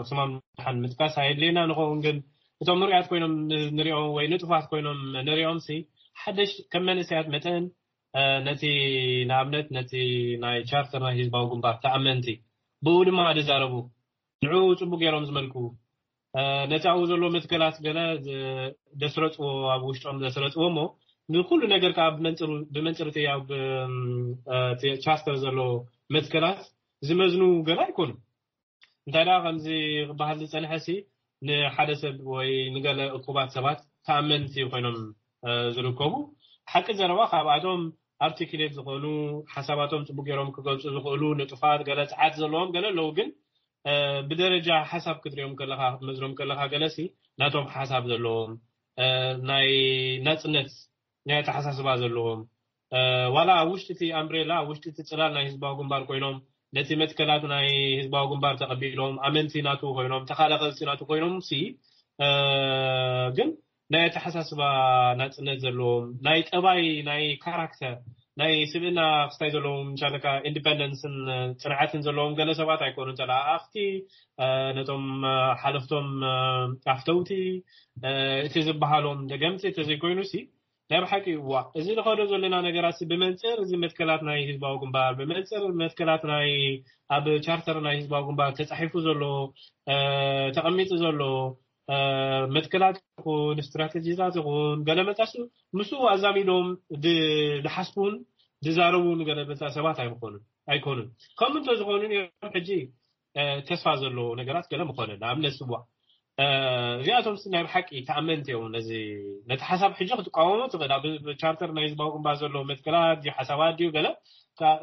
ስማም ሓን ምጥቃስ ኣየድልየና ንኸውን ግን እቶም ምሩያት ኮይኖም ንሪኦም ወይ ንጡፋት ኮይኖም ንሪኦም ሲ ሓደሽ ከም መንእሰያት መጠን ነቲ ንኣብነት ነቲ ናይ ቻርተር ናይ ህዝባዊ ግንባር ተኣመንቲ ብኡ ድማ ዝዛረቡ ንዑ ጽቡቅ ገይሮም ዝመልኩ ነቲ ኣብኡ ዘሎ መትከላት ገለ ደስረጽዎ ኣብ ውሽጦም ዘስረጽዎ እሞ ንኩሉ ነገር ከዓ ብመንፅርቲ ኣብ ቻርተር ዘሎ መትከላት ዝመዝኑ ገለ ኣይኮኑ እንታይ ደኣ ከምዚ ክበሃል ዝፀንሐ ሲ ንሓደ ሰብ ወይ ንገለ እኩባት ሰባት ተኣመንቲ ኮይኖም ዝርከቡ ሓቂ ዘረባ ካብኣቶም ኣርቲክሌት ዝኾኑ ሓሳባቶም ፅቡቅ ገይሮም ክገልፁ ዝኽእሉ ንጡፋት ገለ ፀዓት ዘለዎም ገለ ኣለዉ ግን ብደረጃ ሓሳብ ክትሪኦም ከለካ ክትመዝኖም ከለካ ገለሲ ናቶም ሓሳብ ዘለዎም ናይ ናፅነት ናይ ኣተሓሳስባ ዘለዎም ዋላ ኣብ ውሽጢ እቲ ኣምብሬላ ኣብ ውሽጢ እቲ ፅላል ናይ ህዝባዊ ግንባር ኮይኖም ነቲ መትከላት ናይ ህዝባዊ ግንባር ተቐቢሎም ኣመንቲ ናቱ ኮይኖም ተኻለኸልቲ ናቱ ኮይኖም ሲ ግን ናይ ኣተሓሳስባ ናፅነት ዘለዎም ናይ ጠባይ ናይ ካራክተር ናይ ስብእና ክስታይ ዘለዎም ቻለካ ኢንዲፐንደንስን ጽንዓትን ዘለዎም ገለ ሰባት ኣይኮኑን ተለኣኣኽቲ። ነቶም ሓለፍቶም ኣፍተውቲ፣ እቲ ዝበሃሎም ደገምቲ እንተዘይኮይኑ ሲ ናይ ብሓቂ እዋ እዚ ንኸዶ ዘለና ነገራት ብመንፅር እዚ መትከላት ናይ ህዝባዊ ግንባር፣ ብመንፅር መትከላት ናይ ኣብ ቻርተር ናይ ህዝባዊ ግንባር ተፃሒፉ ዘሎ፣ ተቐሚጡ ዘሎ መትከላት ይኹን ስትራተጂታት ይኹን ገለ መጣሱ ምስኡ ኣዛሚዶም ዝሓስቡን ዝዛረቡን ገለ መጣ ሰባት ኣይምኾኑን ኣይኮኑን። ከምኡ እንተዝኾኑ ሕጂ ተስፋ ዘለዎ ነገራት ገለ ምኾነ። ንኣብነት ስዋ እዚኣቶም ናይ ብሓቂ ተኣመንቲ እዮም። ነዚ ነቲ ሓሳብ ሕጂ ክትቃወሞ ትኽእል። ኣብ ቻርተር ናይ ህዝባዊ ግንባር ዘሎ መትከላት ድዩ ሓሳባት ድዩ ገለ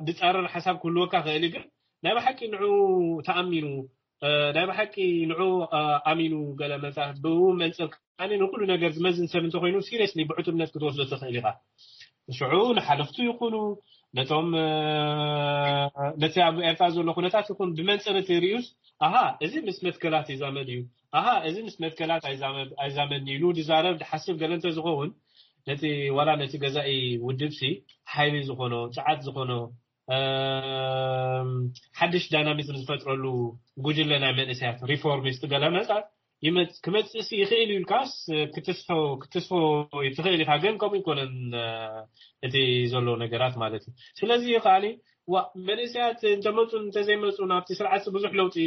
ዝፃረር ሓሳብ ክህልወካ ክእል፣ ግን ናይ ብሓቂ ንዑ ተኣሚኑ ናይ ብሓቂ ንዑ ኣሚኑ ገለ መፃ ብኡ መንፅር ከዓኒ ንኩሉ ነገር ዝመዝን ሰብ እንተኮይኑ ሲሪየስሊ ብዕቱብነት ክትወስዶ ትኽእል ኢኻ። ሽዑ ንሓለፍቱ ይኹኑ ነቶም ነቲ ኣብ ኤርትራ ዘሎ ኩነታት ይኹን ብመንፅር እቲ ሪኡስ ኣሃ እዚ ምስ መትከላት ይዛመድ እዩ፣ ኣሃ እዚ ምስ መትከላት ኣይዛመድን ኢሉ ዝዛረብ ዝሓስብ ገለ እንተዝኸውን ነቲ ዋላ ነቲ ገዛኢ ውድብሲ ሓይሊ ዝኾኖ ፅዓት ዝኾኖ ሓድሽ ዳይናሚዝም ዝፈጥረሉ ጉጅለ ናይ መንእሰያት ሪፎርሚስት ገለ መፃ ክመፅእሲ ይኽእል እዩ ኢልካስ ክትስፎ ክትስፎ ትኽእል ኢኻ። ግን ከምኡ ይኮነን እቲ ዘሎ ነገራት ማለት እዩ። ስለዚ ከዓኒ ዋ መንእሰያት እንተመፁ እንተዘይመፁ ናብቲ ስርዓት ብዙሕ ለውጢ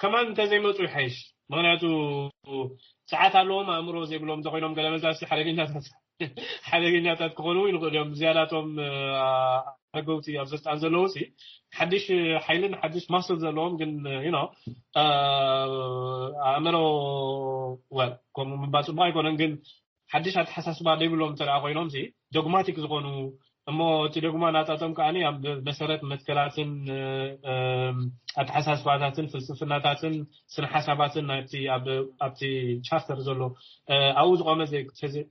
ከማን እንተዘይመፁ ይሓይሽ። ምክንያቱ ሰዓት ኣለዎም ኣእምሮ ዘይብሎም እንተኮይኖም ገለ መዛሲ ሓደገኛታት ሓደገኛታት ክኾኑ ይንኽእሉ እዮም። ዝያዳቶም ኣረገውቲ ኣብ ስልጣን ዘለዉ ሲ ሓድሽ ሓይልን ሓድሽ ማስል ዘለዎም ግን you know ኣእምሮ well ከምኡ ምባል ፅቡቅ ኣይኮነን፣ ግን ሓድሽ ኣተሓሳስባ ዘይብሎም እንተ ኮይኖም ሲ ዶግማቲክ ዝኾኑ እሞ እቲ ዶግማ ናታቶም ከዓኒ ኣብ መሰረት መትከላትን ኣተሓሳስባታትን ፍልስፍናታትን ስነ ሓሳባትን ናብቲ ኣብቲ ቻርተር ዘሎ ኣብኡ ዝቆመ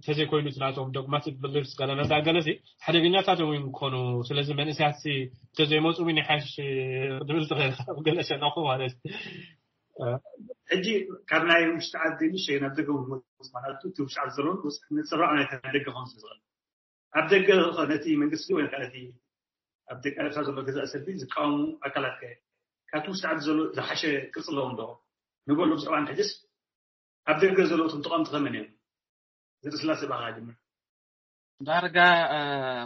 ተዘይኮይኑ ናቶም ዶግማቲክ ብሊፍስ ገለ መዳ ገለሲ ሓደገኛታት እዮም ክኾኑ። ስለዚ መንእሰያት ተዘይመፁ ውን ይሓሽ ድብል ትኽእል ገለ ሸነኹ ማለት ሕጂ ካብ ናይ ውሽጢ ዓዲ ንሸይ ናብ ደገ ማለት እቲ ውሽጢ ዓዲ ዘሎ ንፅራቕ ናይ ደገ ከም ዝኽእል ኣብ ደገ ነቲ መንግስቲ ወይ ነቲ ኣብ ደገ ኤርትራ ዘሎ ገዛእ ሰልፊ ዝቃወሙ ኣካላት ከ ካብቲ ውሽጢ ዓዲ ዘሎ ዝሓሸ ቅርፂ ኣለዎም ዶ ንበሉ ብዛዕባ ሕጅስ ኣብ ደገ ዘለዉ እቶም ተቃወምቲ ከመን እዮም? ዘርእስላሴ ባኻ ጅምር። ዳርጋ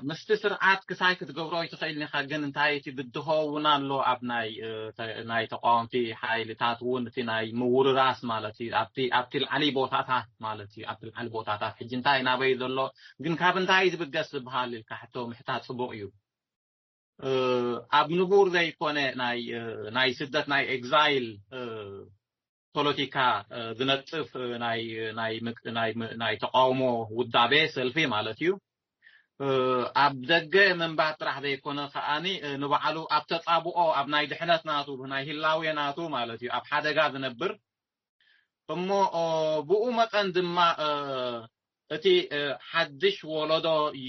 ምስቲ ስርዓት ክሳይ ክትገብሮ ይትኽእል ኢኻ፣ ግን እንታይ እቲ ብድሆ እውን ኣሎ ኣብ ናይ ናይ ተቃወምቲ ሓይልታት እውን እቲ ናይ ምውርራስ ማለት እዩ። ኣብቲ ኣብቲ ልዓሊ ቦታታት ማለት እዩ። ኣብቲ ልዓሊ ቦታታት ሕጂ እንታይ ናበይ ዘሎ ግን ካብ እንታይ ዝብገስ ዝበሃል ኢልካ ሕቶ ምሕታት ጽቡቕ እዩ። ኣብ ንቡር ዘይኮነ ናይ ናይ ስደት ናይ ኤግዛይል ፖለቲካ ዝነጥፍ ናይ ናይ ናይ ናይ ተቃውሞ ውዳቤ ሰልፊ ማለት እዩ። ኣብ ደገ ምንባር ጥራሕ ዘይኮነ ከዓኒ ንባዕሉ ኣብ ተጻብኦ ኣብ ናይ ድሕነት ናቱ ናይ ህላዌ ናቱ ማለት እዩ ኣብ ሓደጋ ዝነብር እሞ ብኡ መጠን ድማ እቲ ሓድሽ ወለዶ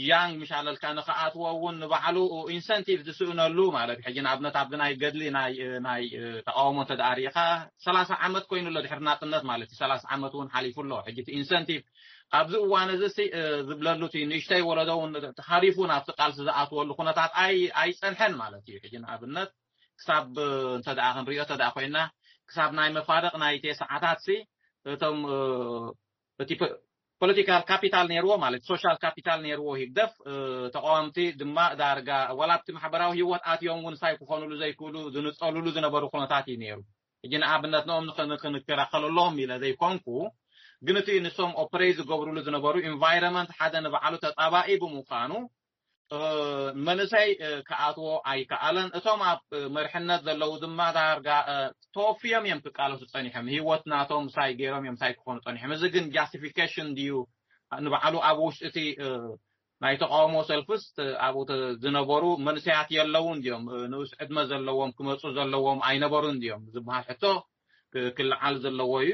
ያንግ ምሻለልካ ንክኣትዎ እውን ንባዕሉ ኢንሰንቲቭ ዝስእነሉ ማለት እዩ። ሕጂ ንኣብነት ኣብዚ ናይ ገድሊ ናይ ናይ ተቃውሞ እንተ ደኣ ርኢኻ ሰላሳ ዓመት ኮይኑ ኣሎ ድሕሪ ናጽነት ማለት እዩ። ሰላሳ ዓመት እውን ሓሊፉ ኣሎ። ሕጂ እቲ ኢንሰንቲቭ ኣብዚ እዋን እዚ ዝብለሉ እቲ ንእሽተይ ወለዶ እውን ተሃሪፉ ናብቲ ቃልሲ ዝኣትወሉ ኩነታት ኣይፀንሐን ማለት እዩ። ሕጂ ንኣብነት ክሳብ እንተ ደኣ ክንሪኦ እንተ ደኣ ኮይና ክሳብ ናይ መፋርቕ ናይ ቴስዓታት ሲ እቶም እቲ ፖለቲካል ካፒታል ነይርዎ ማለት ሶሻል ካፒታል ነይርዎ ህግደፍ ተቃወምቲ ድማ ዳርጋ ዋላ ኣብቲ ማሕበራዊ ህይወት ኣትዮም እውን ሳይ ክኾኑሉ ዘይክእሉ ዝንፀሉሉ ዝነበሩ ኩነታት እዩ ነይሩ። ሕጂ ንኣብነት ንኦም ክንከላኸለሎም ኢለ ዘይኮንኩ ግን እቲ ንሶም ኦፕሬት ዝገብሩሉ ዝነበሩ ኢንቫይሮንመንት ሓደ ንባዕሉ ተጣባኢ ብምዃኑ መንእሰይ ክኣትዎ ኣይከኣለን። እቶም ኣብ መርሕነት ዘለዉ ድማ ዳርጋ ተወፍዮም እዮም ክቃለሱ ፀኒሖም። ህይወት ናቶም ሳይ ገይሮም እዮም ሳይ ክኾኑ ፀኒሖም። እዚ ግን ጃስቲፊኬሽን ድዩ ንባዕሉ ኣብ ውሽጢ እቲ ናይ ተቃውሞ ሰልፍስ ኣብኡ ዝነበሩ መንእሰያት የለውን ድዮም? ንኡስ ዕድመ ዘለዎም ክመፁ ዘለዎም ኣይነበሩን ድዮም ዝበሃል ሕቶ ክለዓል ዘለዎ እዩ።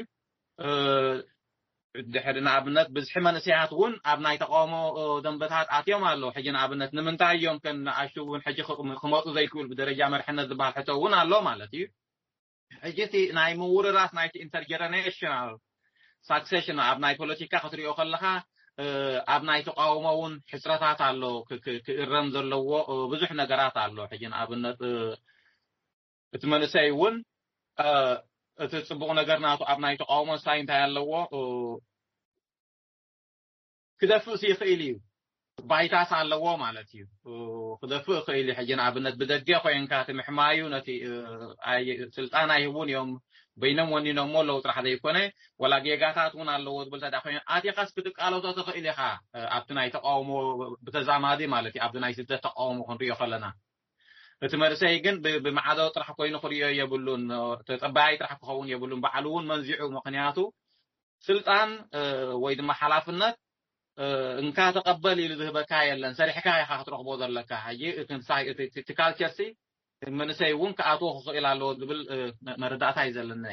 ድሕሪ ንኣብነት ብዝሒ መንእሰያት እውን ኣብ ናይ ተቃውሞ ደንበታት ኣትዮም ኣለዉ። ሕጂ ንኣብነት ንምንታይ እዮም ከም ንኣሽቱ እውን ሕጂ ክመፁ ዘይክብል ብደረጃ መርሕነት ዝበሃል ሕቶ እውን ኣሎ ማለት እዩ። ሕጂ እቲ ናይ ምውርራስ ናይቲ ኢንተርጀነሬሽናል ሳክሴሽን ኣብ ናይ ፖለቲካ ክትሪኦ ከለካ ኣብ ናይ ተቃውሞ እውን ሕፅረታት ኣሎ፣ ክእረም ዘለዎ ብዙሕ ነገራት ኣሎ። ሕጂ ንኣብነት እቲ መንእሰይ እውን እቲ ፅቡቕ ነገር ናቱ ኣብ ናይ ተቃውሞ ሳይ እንታይ ኣለዎ፣ ክደፍእስ ይኽእል እዩ። ባይታስ ኣለዎ ማለት እዩ። ክደፍእ ይኽእል እዩ። ሕጂ ንኣብነት ብደገ ኮይንካ እቲ ምሕማዩ ነቲ ስልጣን ኣይህቡን እዮም፣ በይኖም ወኒኖሞ ኣለዉ ጥራሕ ዘይኮነ፣ ወላ ጌጋታት እውን ኣለዎ ዝብል ተዳ ኮይኑ ኣቲኻስ ክትቃለሶ ትኽእል ኢኻ። ኣብቲ ናይ ተቃውሞ ብተዛማዲ ማለት እዩ፣ ኣብዚ ናይ ስደት ተቃውሞ ክንሪኦ ከለና እቲ መንእሰይ ግን ብማዕዶ ጥራሕ ኮይኑ ክሪኦ የብሉን፣ ተፀባያይ ጥራሕ ክኸውን የብሉን። ባዕሉ እውን መንዚዑ፣ ምክንያቱ ስልጣን ወይ ድማ ሓላፍነት እንካ ተቐበል ኢሉ ዝህበካ የለን፣ ሰሪሕካ ኢኻ ክትረኽቦ ዘለካ። ሕጂ እቲ ካልቸር ሲ መንእሰይ እውን ክኣትዎ ክኽእል ኣለዎ ዝብል መረዳእታ እዩ ዘለኒ።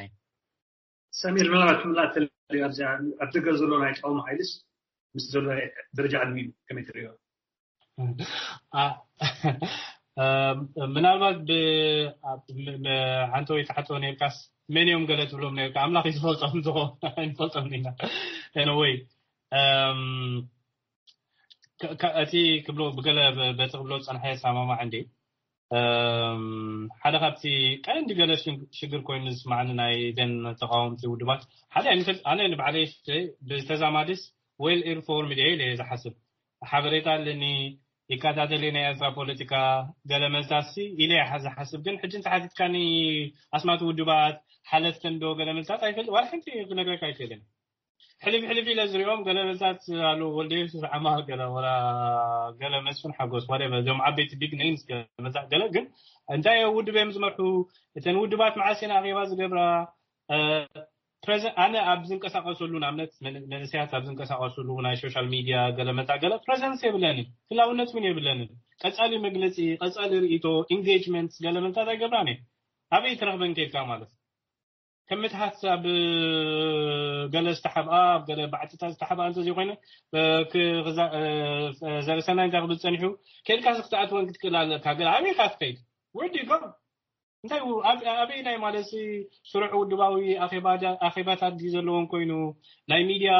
ሰሚር፣ ምናልባት ክምላእ ተልዩ ኣብዚ ኣብ ደገ ዘሎ ናይ ተቃውሞ ሓይልስ ምስ ዘሎ ደረጃ ዕድሚኡ ከመይ ትርእዮ? ምናልባት ሓንቲ ወይ ትሓቶ ነርካስ መን እዮም ገለ ትብሎም ነርካ? ኣምላኽ እዩ ዝፈልጦም፣ ዝፈልጦም ኢና። ወይ እቲ ክብሎ ብገለ በቲ ክብሎ ዝፀንሐ ሰማማዕ እንዲ ሓደ ካብቲ ቀንዲ ገለ ሽግር ኮይኑ ዝስማዕኒ ናይ ደን ተቃወምቲ ውድባት ሓደ ኣነ ንባዕለይ ብተዛማድስ ዌል ኢንፎርምድ እየ ኢለ ዝሓስብ። ሓበሬታ ኣለኒ፣ ይከታተል ናይ ኤርትራ ፖለቲካ ገለ መልታሲ ኢለ ዝሓስብ። ግን ሕጂ እንተሓቲትካኒ ኣስማት ውድባት ሓለፍተን ዶ ገለ መልታት ኣይፈልጥ፣ ዋላ ሓንቲ ክነግረካ ኣይክእልን። ሕልፍ ሕልፍ ኢለ ዝሪኦም ገለ መልታት ኣለዉ፣ ወልደ የሱስ ዓማ ገለ ወላ ገለ መስፍን ሓጎስ whatever፣ እዞም ዓበይቲ ቢግ ኔምስ ገለ መልታት ገለ። ግን እንታይ ውድብ እዮም ዝመርሑ? እተን ውድባት መዓስ እየን ኣኼባ ዝገብራ? ኣነ ኣብ ዝንቀሳቀሰሉ ንኣብነት መንእሰያት ኣብ ዝንቀሳቀሰሉ ናይ ሶሻል ሚድያ ገለ መታ ገለ ፕሬዘንስ የብለንን፣ ህላውነት እውን የብለንን። ቀጻሊ መግለጺ፣ ቀጻሊ ርእይቶ፣ ኢንጌጅመንት ገለ መታት ኣይገብራን እየ። ኣበይ ትረኽበን ከይድካ ማለት ከም ምትሓት ኣብ ገለ ዝተሓብኣ ኣብ ገለ ባዕትታት ዝተሓብኣ እንተዘይኮይነ ዘርሰናይ እንታይ ክብል ጸኒሑ ከይድካ ክትኣትወን ክትክእል ኣለካ። ገለ ኣበይ ኢኻ ትኸይድ? ወዲ ጎ እንታይ ኣበይ ናይ ማለት ስሩዕ ውድባዊ ኣኼባታት ድዩ ዘለዎን ኮይኑ ናይ ሚድያ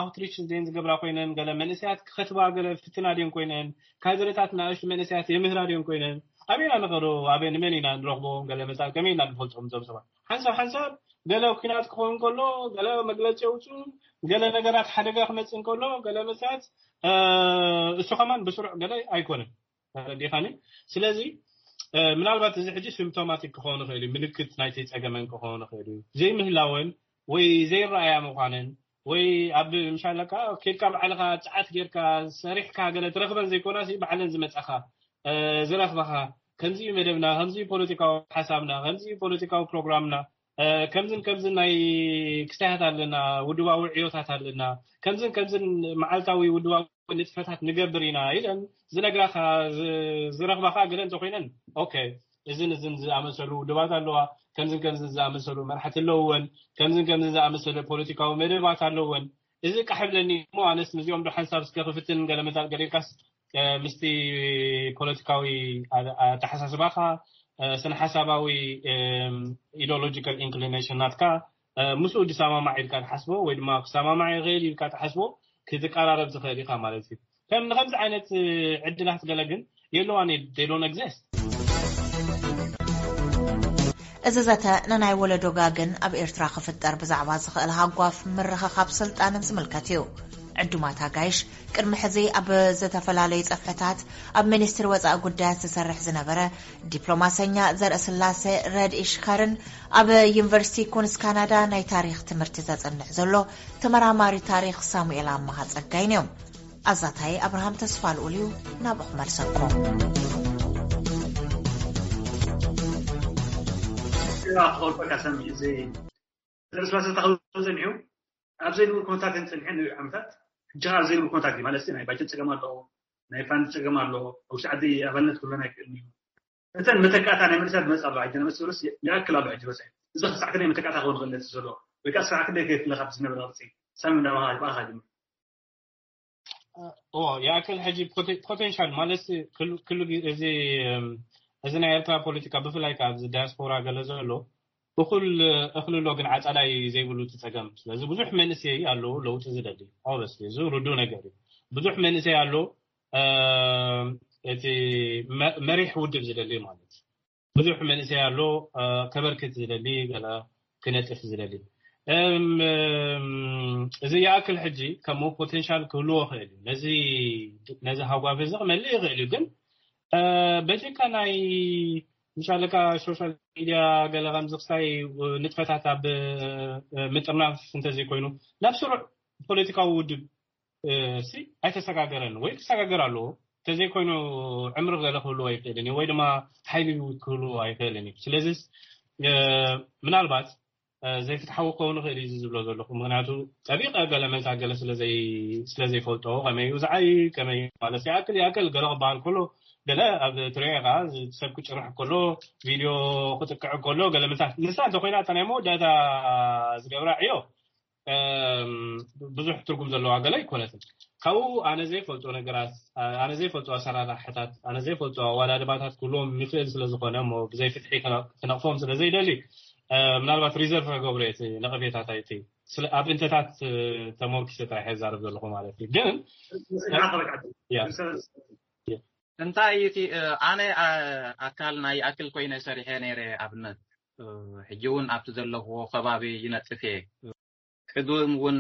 ኣውትሪች ዜን ዝገብራ ኮይነን ገለ መንእሰያት ክኸትባ ገለ ፍትና ድዮን ኮይነን ካድረታት ንኣሽቱ መንእሰያት የምህራ ድዮን ኮይነን ኣበይና ንኸዶ ኣበይ ንመን ኢና ንረኽቦም ገለ መፃ ከመይ ኢና ንፈልጦም እዞም ሰባት ሓንሳብ ሓንሳብ ገለ ኩናት ክኸውን ከሎ ገለ መግለፂ የውፅኡ ገለ ነገራት ሓደጋ ክመፅእ እንከሎ ገለ መፅኣት እሱ ከማን ብስሩዕ ገለ ኣይኮነን ተረዲኻኒ ስለዚ ምናልባት እዚ ሕጂ ሲምፕቶማቲክ ክኸውን ይኽእል እዩ ምልክት ናይቲ ፀገመን ክኸውን ይኽእል እዩ ዘይምህላወን ወይ ዘይረኣያ ምዃነን ወይ ኣብ ምሻለካ ኬድካ ባዕልኻ ፀዓት ጌርካ ሰሪሕካ ገለ ትረኽበን ዘይኮና ባዕለን ዝመፃኻ ዝረኽበኻ ከምዚ እዩ መደብና ከምዚ ፖለቲካዊ ሓሳብና ከምዚ ፖለቲካዊ ፕሮግራምና ከምዝን ከምዝን ናይ ክስታያት ኣለና ውድባዊ ዕዮታት ኣለና ከምዝን ከምዝን መዓልታዊ ውድባዊ ንጥፈታት ንገብር ኢና ኢለን ዝነግራኻ ዝረኽባኻ ገለ እንተኮይነን ኦኬ እዝን እዝን ዝኣመሰሉ ውድባት ኣለዋ ከምዝን ከምዝን ዝኣመሰሉ መራሕቲ ኣለውወን ከምዝን ከምዝን ዝኣመሰለ ፖለቲካዊ መደባት ኣለወን እዚ ቃሕብለኒ እሞ ኣነስ ምስዚኦም ዶ ሓንሳብ እስከ ክፍትን ገለ መታል ገሊልካስ ምስቲ ፖለቲካዊ ኣተሓሳስባኻ ስነ ሓሳባዊ ኢዲሎጂካል ኢንክሊኔሽን ናትካ ምስኡ ዝሰማማዕ ኢልካ ትሓስቦ ወይ ድማ ክሰማማዕ ይኽእል ኢልካ ትሓስቦ ክትቀራረብ ትኽእል ኢኻ ማለት እዩ ከም ንከምዚ ዓይነት ዕድላት ገለ ግን የለዋን they don't exist እዚ ዘተ ንናይ ወለዶ ጋግን ኣብ ኤርትራ ክፍጠር ብዛዕባ ዝኽእል ሃጓፍ ምርኽኻብ ስልጣንን ዝምልከት እዩ። ዕዱማት ኣጋይሽ ቅድሚ ሕዚ ኣብ ዝተፈላለዩ ጸፍሕታት ኣብ ሚኒስትሪ ወጻኢ ጉዳያት ዝሰርሕ ዝነበረ ዲፕሎማሰኛ ዘርእስላሴ ረድኢ ሽኸርን ኣብ ዩኒቨርሲቲ ኩንስ ካናዳ ናይ ታሪኽ ትምህርቲ ዘጽንዕ ዘሎ ተመራማሪ ታሪኽ ሳሙኤል ኣማሃ ጸጋይን እዮም። ኣዛታይ ኣብርሃም ተስፋ ልኡል እዩ ናብኡ ክመልሰኩም ክኸልፈካ ሰሚዕ እዚ ዘርእስላሰ ተኸልፈ ፀኒሑ ኣብ ዘይንብል ኩነታት እዮም ፀኒሐን ንሪኡ ዓመታት ሕጂ ኣብ ዘይንብል ኩነታት እዩ ማለት ናይ ባጀት ፀገም ኣለዎ ናይ ፋንድ ፀገም ኣለዎ ኣብ ውሽጢ ዓዲ ኣባልነት ክህልወና ኣይክእልን እዩ እተን መተካእታ ናይ መንእሰያት ዝመፅእ ኣሎ ሕጂ ነመስበለስ ይኣክል ኣሎ ሕጂ በፅሐ እዚ ክሳዕተ ናይ መተካእታ ክኸውን ክእል ነቲ ዘሎ ወይ ከዓ ስራሕ ክንደይ ከየትለካ ብዝነበረ ቅርፂ ሳሚ እንዳባኻ ይባኻ ጅምር ይኣክል ሕጂ ፖቴንሻል ማለት ክሉ እዚ እዚ ናይ ኤርትራ ፖለቲካ ብፍላይ ካብ እዚ ዳያስፖራ ገለ ዘሎ እኹል እኽሊ ኣሎ ግን ዓፃዳይ ዘይብሉ እቲ ፀገም። ስለዚ ብዙሕ መንእሰይ ኣሎ ለውጢ ዝደሊ። ኦበስ እዚ ርዱ ነገር እዩ። ብዙሕ መንእሰይ ኣሎ እቲ መሪሕ ውድብ ዝደሊ ማለት ብዙሕ መንእሰይ ኣሎ ከበርክት ዝደሊ ገለ ክነጥፍ ዝደሊ። እዚ ይኣክል ሕጂ ከምኡ ፖቴንሻል ክህልዎ ይኽእል እዩ። ነዚ ነዚ ሃጓፍ እዚ ክመልእ ይኽእል እዩ። ግን በጀካ ናይ ምሻለካ ሶሻል ሚድያ ገለ ከምዚ ክሳይ ንጥፈታት ኣብ ምጥርናፍ እንተዘይኮይኑ ናብ ስሩዕ ፖለቲካዊ ውድብ ሲ ኣይተሰጋገረን ወይ ክሰጋገር ኣለዎ። እንተዘይኮይኑ ዕምሪ ገለ ክህልዎ ኣይክእልን እዩ ወይ ድማ ሓይሊ ክህልዎ ኣይክእልን እዩ። ስለዚ ምናልባት ዘይፍትሓዊ ክኸውን ይኽእል እዩ ዝብሎ ዘለኹ። ምክንያቱ ጠቢቐ ገለ መዛ ገለ ስለዘይፈልጦ ከመይ እዩ ዝዓይ ከመይ ማለት ይኣክል ይኣክል ገለ ክበሃል ከሎ ገለ ኣብ ትሪኦ ኢኻ ሰብ ክጭርሕ ከሎ ቪድዮ ክጥቅዕ ከሎ ገለ መሳ ንሳ እንተኮይና እታ ናይ መወዳእታ ዝገብራ ዕዮ ብዙሕ ትርጉም ዘለዋ ገለ ኣይኮነትን። ካብኡ ኣነ ዘይፈልጦ ነገራት ኣነ ዘይፈልጦ ኣሰራርሓታት ኣነ ዘይፈልጦ ኣዋዳድባታት ክህልዎም ይኽእል ስለዝኾነ እሞ ብዘይ ፍትሒ ክነቕፎም ስለዘይደሊ ምናልባት ሪዘርቭ ክገብሮ እቲ ነቐፌታታይ እቲ ኣብ እንተታት ተሞርኪሰ ጥራሕ ይዛረብ ዘለኹ ማለት እዩ። ግን እንታይ እቲ ኣነ ኣካል ናይ ኣክል ኮይነ ሰሪሐ ነይረ ኣብነት ሕጂ እውን ኣብቲ ዘለኹዎ ከባቢ ይነጥፍ እየ። ቅድም እውን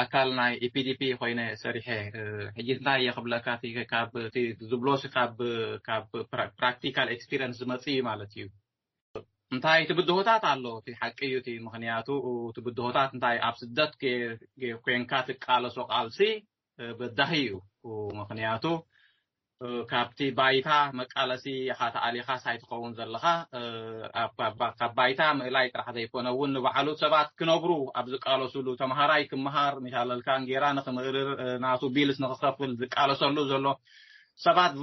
ኣካል ናይ ኢፒዲፒ ኮይነ ሰሪሐ ሕጂ እንታይ እየ ክብለካ ካብ ዝብሎሲ ካብ ፕራክቲካል ኤክስፒሪንስ ዝመፅእ እዩ ማለት እዩ። እንታይ እቲ ብድሆታት ኣሎ እቲ ሓቂ እዩ እቲ ምክንያቱ እቲ ብድሆታት እንታይ ኣብ ስደት ኮንካ ትቃለሶ ቃልሲ በዳሂ እዩ። ምክንያቱ ካብቲ ባይታ መቃለሲ ኢኻ ተኣሊኻስ ኣይትኸውን ዘለኻ። ካብ ባይታ ምእላይ ጥራሕ ዘይኮነ እውን ንባዕሉ ሰባት ክነብሩ ኣብ ዝቃለሱሉ ተምሃራይ ክምሃር ሚሻለልካ እንጌራ ንክምእርር ናቱ ቢልስ ንክኸፍል ዝቃለሰሉ ዘሎ ሰባት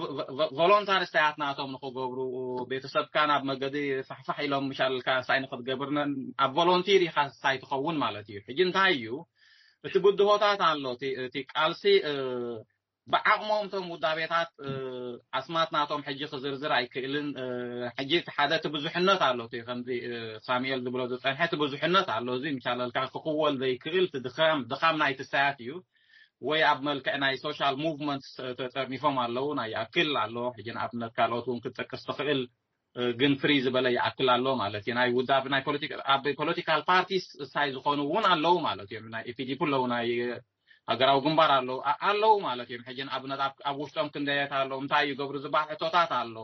ቮሎንታሪ ስታያት ናቶም ንክገብሩ ቤተሰብካ ናብ መገዲ ፋሕፋሕ ኢሎም ምሻለልካ ሳይ ንክትገብር ኣብ ቮሎንቲር ኢኻ ሳይ ትኸውን ማለት እዩ። ሕጂ እንታይ እዩ እቲ ብድሆታት ኣሎ እቲ ቃልሲ ብዓቕሞም እቶም ውዳቤታት ኣስማት ናቶም ሕጂ ክዝርዝር ኣይክእልን። ሕጂ እቲ ሓደ እቲ ብዙሕነት ኣሎ እቲ ከምዚ ሳሙኤል ዝብሎ ዝፀንሐ እቲ ብዙሕነት ኣሎ። እዚ ምሻለልካ ክኽወል ዘይክእል ድኻም ድኻም ናይቲ ሳያት እዩ። ወይ ኣብ መልክዕ ናይ ሶሻል ሙቭመንት ተጠርኒፎም ኣለዉ ናይ ኣክል ኣሎ። ሕጂ ንኣብነት ካልኦት እውን ክትጠቅስ ትኽእል ግን ፍሪ ዝበለ ይኣክል ኣሎ ማለት እዩ። ናይ ውዳብ ናይ ኣብ ፖለቲካል ፓርቲስ ሳይ ዝኾኑ እውን ኣለዉ ማለት እዮም። ናይ ኢፒዲፒ ኣለዉ ናይ ሃገራዊ ግንባር ኣለዉ ኣለዉ ማለት እዮም። ሕጂ ንኣብነት ኣብ ውሽጦም ክንደየት ኣሎ እንታይ ይገብሩ ዝበሃል ሕቶታት ኣሎ።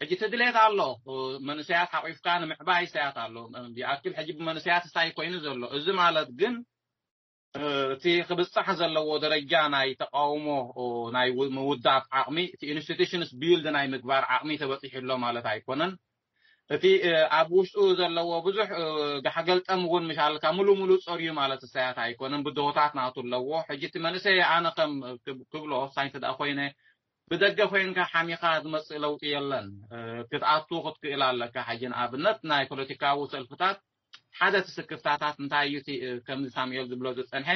ሕጂ እቲ ድሌት ኣሎ መንእሰያት ሓቂፍካ ንምዕባይ ሰያት ኣሎ። ይኣክል ሕጂ ብመንእሰያት ሳይ ኮይኑ ዘሎ እዚ ማለት ግን እቲ ክብፃሕ ዘለዎ ደረጃ ናይ ተቃውሞ ናይ ምውዳብ ዓቕሚ እቲ ኢንስቲቱሽንስ ቢልድ ናይ ምግባር ዓቕሚ ተበፂሑ ኣሎ ማለት ኣይኮነን። እቲ ኣብ ውሽጡ ዘለዎ ብዙሕ ጋሕገልጠም እውን ምሻልካ ሙሉ ሙሉ ፀርዩ ማለት እሳያት ኣይኮነን። ብድሆታት ናቱ ኣለዎ። ሕጂ እቲ መንእሰይ ኣነ ከም ክብሎ ሳይንስ ደኣ ኮይነ ብደገ ኮይንካ ሓሚኻ ዝመፅእ ለውጢ የለን። ክትኣቱ ክትክእል ኣለካ። ሕጂ ንኣብነት ናይ ፖለቲካዊ ሰልፍታት ሓደ እቲ ስክፍታታት እንታይ እዩ ከምዚ ሳሙኤል ዝብሎ ዝፀንሐ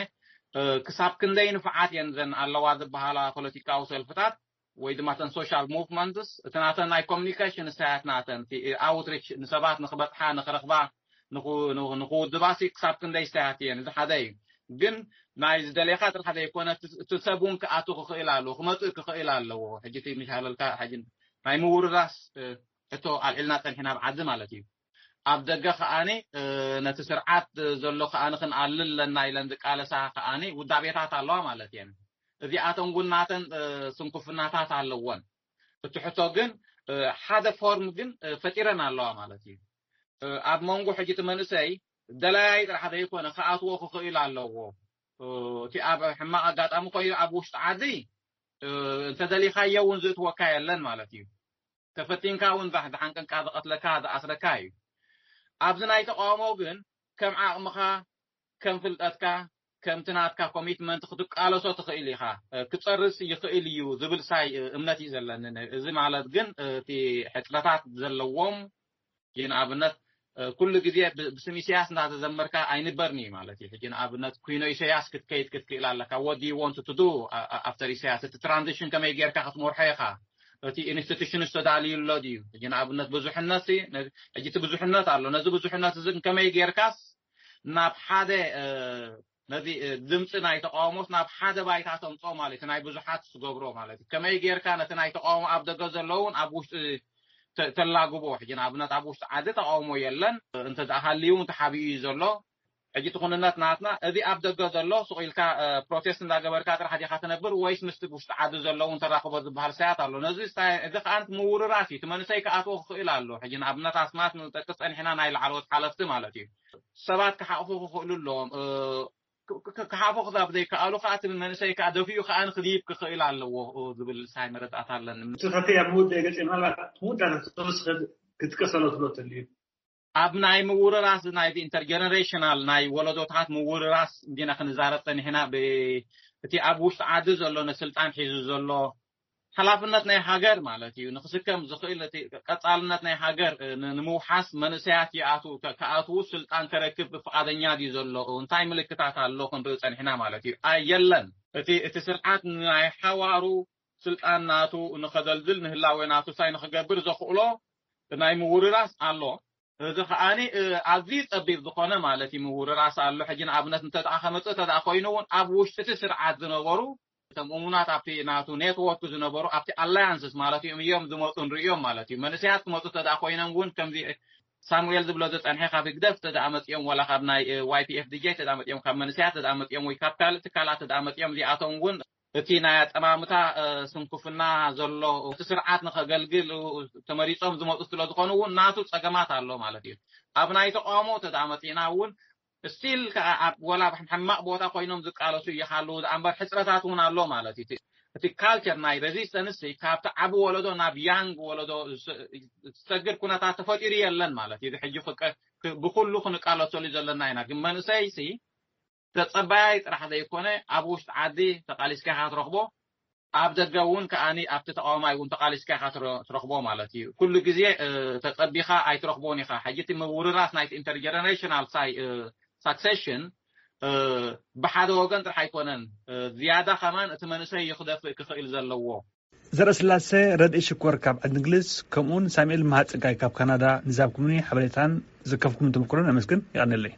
ክሳብ ክንደይ ንፍዓት እየን ዘን ኣለዋ ዝበሃላ ፖለቲካዊ ሰልፍታት ወይ ድማ ተን ሶሻል ሙቭመንትስ እቲ ናተን ናይ ኮሚኒኬሽን እሳያት ናተን ኣውትሪች ንሰባት ንክበፅሓ ንክረኽባ ንክውድባሲ ክሳብ ክንደይ እሳያት እየን። እዚ ሓደ እዩ። ግን ናይ ዝደሌካ ጥራሕ ዘይኮነ እቲ ሰብ እውን ክኣቱ ክኽእል ኣለዎ ክመፅእ ክኽእል ኣለዎ። ሕጂ ምሻለልካ ናይ ምውርራስ ሕቶ ኣልዒልና ፀኒሕና ኣብ ዓዲ ማለት እዩ። ኣብ ደገ ከኣኒ ነቲ ስርዓት ዘሎ ከኣኒ ክንኣልል ኣለና ኢለን ዝቃለሳ ከኣኒ ውዳቤታት ኣለዋ ማለት እየን። እዚኣተን እውን ናተን ስንኩፍናታት ኣለወን። እቲ ሕቶ ግን ሓደ ፎርም ግን ፈጢረን ኣለዋ ማለት እዩ። ኣብ መንጎ ሕጂ እቲ መንእሰይ ደላያይ ጥራሕ ዘይኮነ ክኣትዎ ክኽእል ኣለዎ። እቲ ኣብ ሕማቕ ኣጋጣሚ ኮይኑ ኣብ ውሽጢ ዓዲ እንተደሊኻዮ እውን ዝእትወካ የለን ማለት እዩ። ተፈቲንካ እውን ዝሓንቀንካ ዝቐትለካ ዝኣስረካ እዩ። ኣብዚ ናይ ተቃውሞ ግን ከም ዓቕምኻ ከም ፍልጠትካ ከምቲ ናትካ ኮሚትመንት ክትቃለሶ ትኽእል ኢኻ። ክፀርስ ይኽእል እዩ ዝብል ሳይ እምነት እዩ ዘለኒ። እዚ ማለት ግን እቲ ሕፅረታት ዘለዎም ንኣብነት ኩሉ ግዜ ብስም ኢሳያስ እንዳተዘመርካ ኣይንበርን እዩ ማለት እዩ። ሕጂ ንኣብነት ኩኖ ኢሳያስ ክትከይድ ክትክእል ኣለካ። What do you want to do after ኢሳያስ? እቲ ትራንዚሽን ከመይ ጌርካ ክትመርሖ ኢኻ? እቲ ኢንስቲቱሽን ዝተዳልዩ ኣሎ ድዩ? ሕጂ ንኣብነት ብዙሕነት ሲ፣ ነዚ፣ ሕጂ እቲ ብዙሕነት ኣሎ። ነዚ ብዙሕነት እዚ ከመይ ጌርካስ ናብ ሓደ፣ እ፣ ነዚ፣ እ፣ ድምፂ ናይ ተቃውሞስ ናብ ሓደ ባይታ ተምፅኦ ማለት እዩ። ናይ ብዙሓት ዝገብሮ ማለት እዩ። ከመይ ጌርካ ነቲ ናይ ተቃውሞ ኣብ ደገ ዘለውን ኣብ ውሽጢ ተ-፣ ተላግቦ? ሕጂ ንኣብነት ኣብ ውሽጢ ዓዲ ተቃውሞ የለን። እንተ ደኣ ሃልዩ እውን ተሓቢኡ እዩ ዘሎ። ሕጂ እቲ ኩንነት ናትና፣ እዚ ኣብ ደገ ዘሎ ስቕ ኢልካ፣ እ፣ ፕሮቴስት እንዳገበርካ ጥራሕ ዲኻ ትነብር ወይስ ምስቲ ውሽጢ ዓዲ ዘለውን ተራኽቦ ዝበሃል ሳያት ኣሎ። ነዚ ሳይ-፣ እዚ ከኣ ምውርራስ እዩ። እቲ መንእሰይ ክኣትዎ ክኽእል ኣሎ። ሕጂ ንኣብነት ኣስማት ንጠቅስ ጸኒሕና፣ ናይ ላዕለዎት ሓለፍቲ ማለት እዩ። ሰባት ክሓቑፉ ክኽእሉ ኣለዎም። እ፣ ክ-፣ ክ-፣ ክሓቑፉ ክሳብ ዘይከኣሉ ከኣ እቲ መንእሰይ ከኣ ደፊኡ ከኣ ንክድይብ ክኽእል ኣለዎ፣ እ፣ ዝብል ሳይ መረዳእታ ኣለኒ። እቲ ከፊ ኣብ ምውዳእ ገጽ ምናልባት ምውዳእ ክትወስኸ ክትቀሰሎ ትሎ ትልዩ። ኣብ ናይ ምውርራስ ናይዚ ኢንተርጀነሬሽናል ናይ ወለዶታት ምውርራስ እንዲና ክንዛረብ ጸኒሕና። ብ-፣ እቲ ኣብ ውሽጢ ዓዲ ዘሎ ነስልጣን ሒዙ ዘሎ ሓላፍነት ናይ ሃገር ማለት እዩ። ንክስከም ዝኽእል እቲ ቀጻልነት ናይ ሃገር ን-፣ ንምውሓስ መንእሰያት ይኣትዉ፣ ከ-፣ ክኣትዉ ስልጣን ከረክብ ፍቓደኛ ድዩ ዘሎ? እንታይ ምልክታት ኣሎ ክንርኢ ጸኒሕና ማለት እዩ። ኣይ፣ የለን። እቲ፣ እቲ ስርዓት ናይ ሓዋሩ ስልጣን ናቱ ንኸደልድል፣ ንህላዌ ናቱ ሳይ ንኽገብር ዘኽእሎ ናይ ምውርራስ ኣሎ። እዚ ከኣኒ፣ እ፣ ኣዝዩ ጸቢብ ዝኾነ ማለት እዩ ምውርራስ ኣሎ። ሕጂ ንኣብነት እንተ ደኣ ከመጽእ እንተ ደኣ ኮይኑ እውን ኣብ ውሽጢ እቲ ስርዓት ዝነበሩ እቶም እሙናት ኣብቲ ናቱ ኔትወርክ ዝነበሩ ኣብቲ ኣላያንስስ ማለት እዮም እዮም ዝመጹ ንርእዮም ማለት እዩ። መንእሰያት ክመጹ እንተ ደኣ ኮይኖም እውን ከምዚ ሳሙኤል ዝብሎ ዝጸንሐ ካብ ህግደፍ እንተ ደኣ መጺኦም ዋላ ካብ ናይ፣ እ፣ ዋይ ፒ ኤፍ ዲ ጄ እንተ ደኣ መጺኦም ካብ መንእሰያት እንተ ደኣ መጺኦም ወይ ካብ ካልእ ትካላት እንተ ደኣ መጺኦም እዚኣቶም እውን እቲ ናይ ኣጠማምታ፣ እ፣ ስንኩፍና ዘሎ እቲ ስርዓት ንኸገልግል፣ እ፣ ተመሪጾም ዝመጹ ስለ ዝኾኑ እውን ናቱ ጸገማት ኣሎ ማለት እዩ። ኣብ ናይ ተቃውሞ እንተ ደኣ መጺእና እውን ስቲል ከኣ ኣብ ወላ ኣብ ሕማቕ ቦታ ኮይኖም ዝቃለሱ ይሃልዉ ደኣ እምበር ሕጽረታት እውን ኣሎ ማለት እዩ። እቲ፣ እቲ ካልቸር ናይ ሬዚስተንስ ካብቲ ዓቢ ወለዶ ናብ ያንግ ወለዶ ዝሰ-፣ ዝሰግር ኩነታት ተፈጢሩ የለን ማለት እዩ። እዚ ሕጂ ክቀ-፣ ክ-፣ ብኩሉ ክንቃለሰሉ ዘለና ኢና። ግን መንእሰይሲ ተጸባያይ ጥራሕ ዘይኮነ ኣብ ውሽጢ ዓዲ ተቃሊስካ ኢኻ ትረኽቦ፣ ኣብ ደገ እውን ከኣኒ ኣብቲ ተቃዋማይ እውን ተቃሊስካ ኢኻ ትረ-፣ ትረኽቦ ማለት እዩ። ኩሉ ግዜ፣ እ፣ ተጸቢኻ ኣይትረኽቦን ኢኻ። ሕጂ እቲ ምውርራስ ናይቲ ኢንተርጀነሬሽናል ሳይ-፣ እ፣ ሳክሴሽን፣ እ፣ ብሓደ ወገን ጥራሕ ኣይኮነን። እ፣ ዝያዳ ከማን እቲ መንእሰይ እዩ ክደፍእ ክኽእል ዘለዎ። ዘርእስላሴ ረድኢ ሽኮር ካብ ዓዲ እንግሊዝ፣ ከምኡውን ሳሙኤል መሃጸጋይ ካብ ካናዳ ንዛብኩምኒ ሓበሬታን ዘከፍኩምን ተመክሮን ኣመስግን። ይቐንለይ።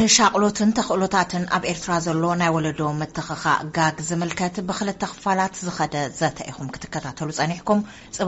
ንሻቕሎትን ተኽእሎታትን ኣብ ኤርትራ ዘሎ ናይ ወለዶ ምትኽኻእ ጋግ ዝምልከት ብኽልተ ክፋላት ዝኸደ ዘተ ኢኹም ክትከታተሉ ጸኒሕኩም። ጽባ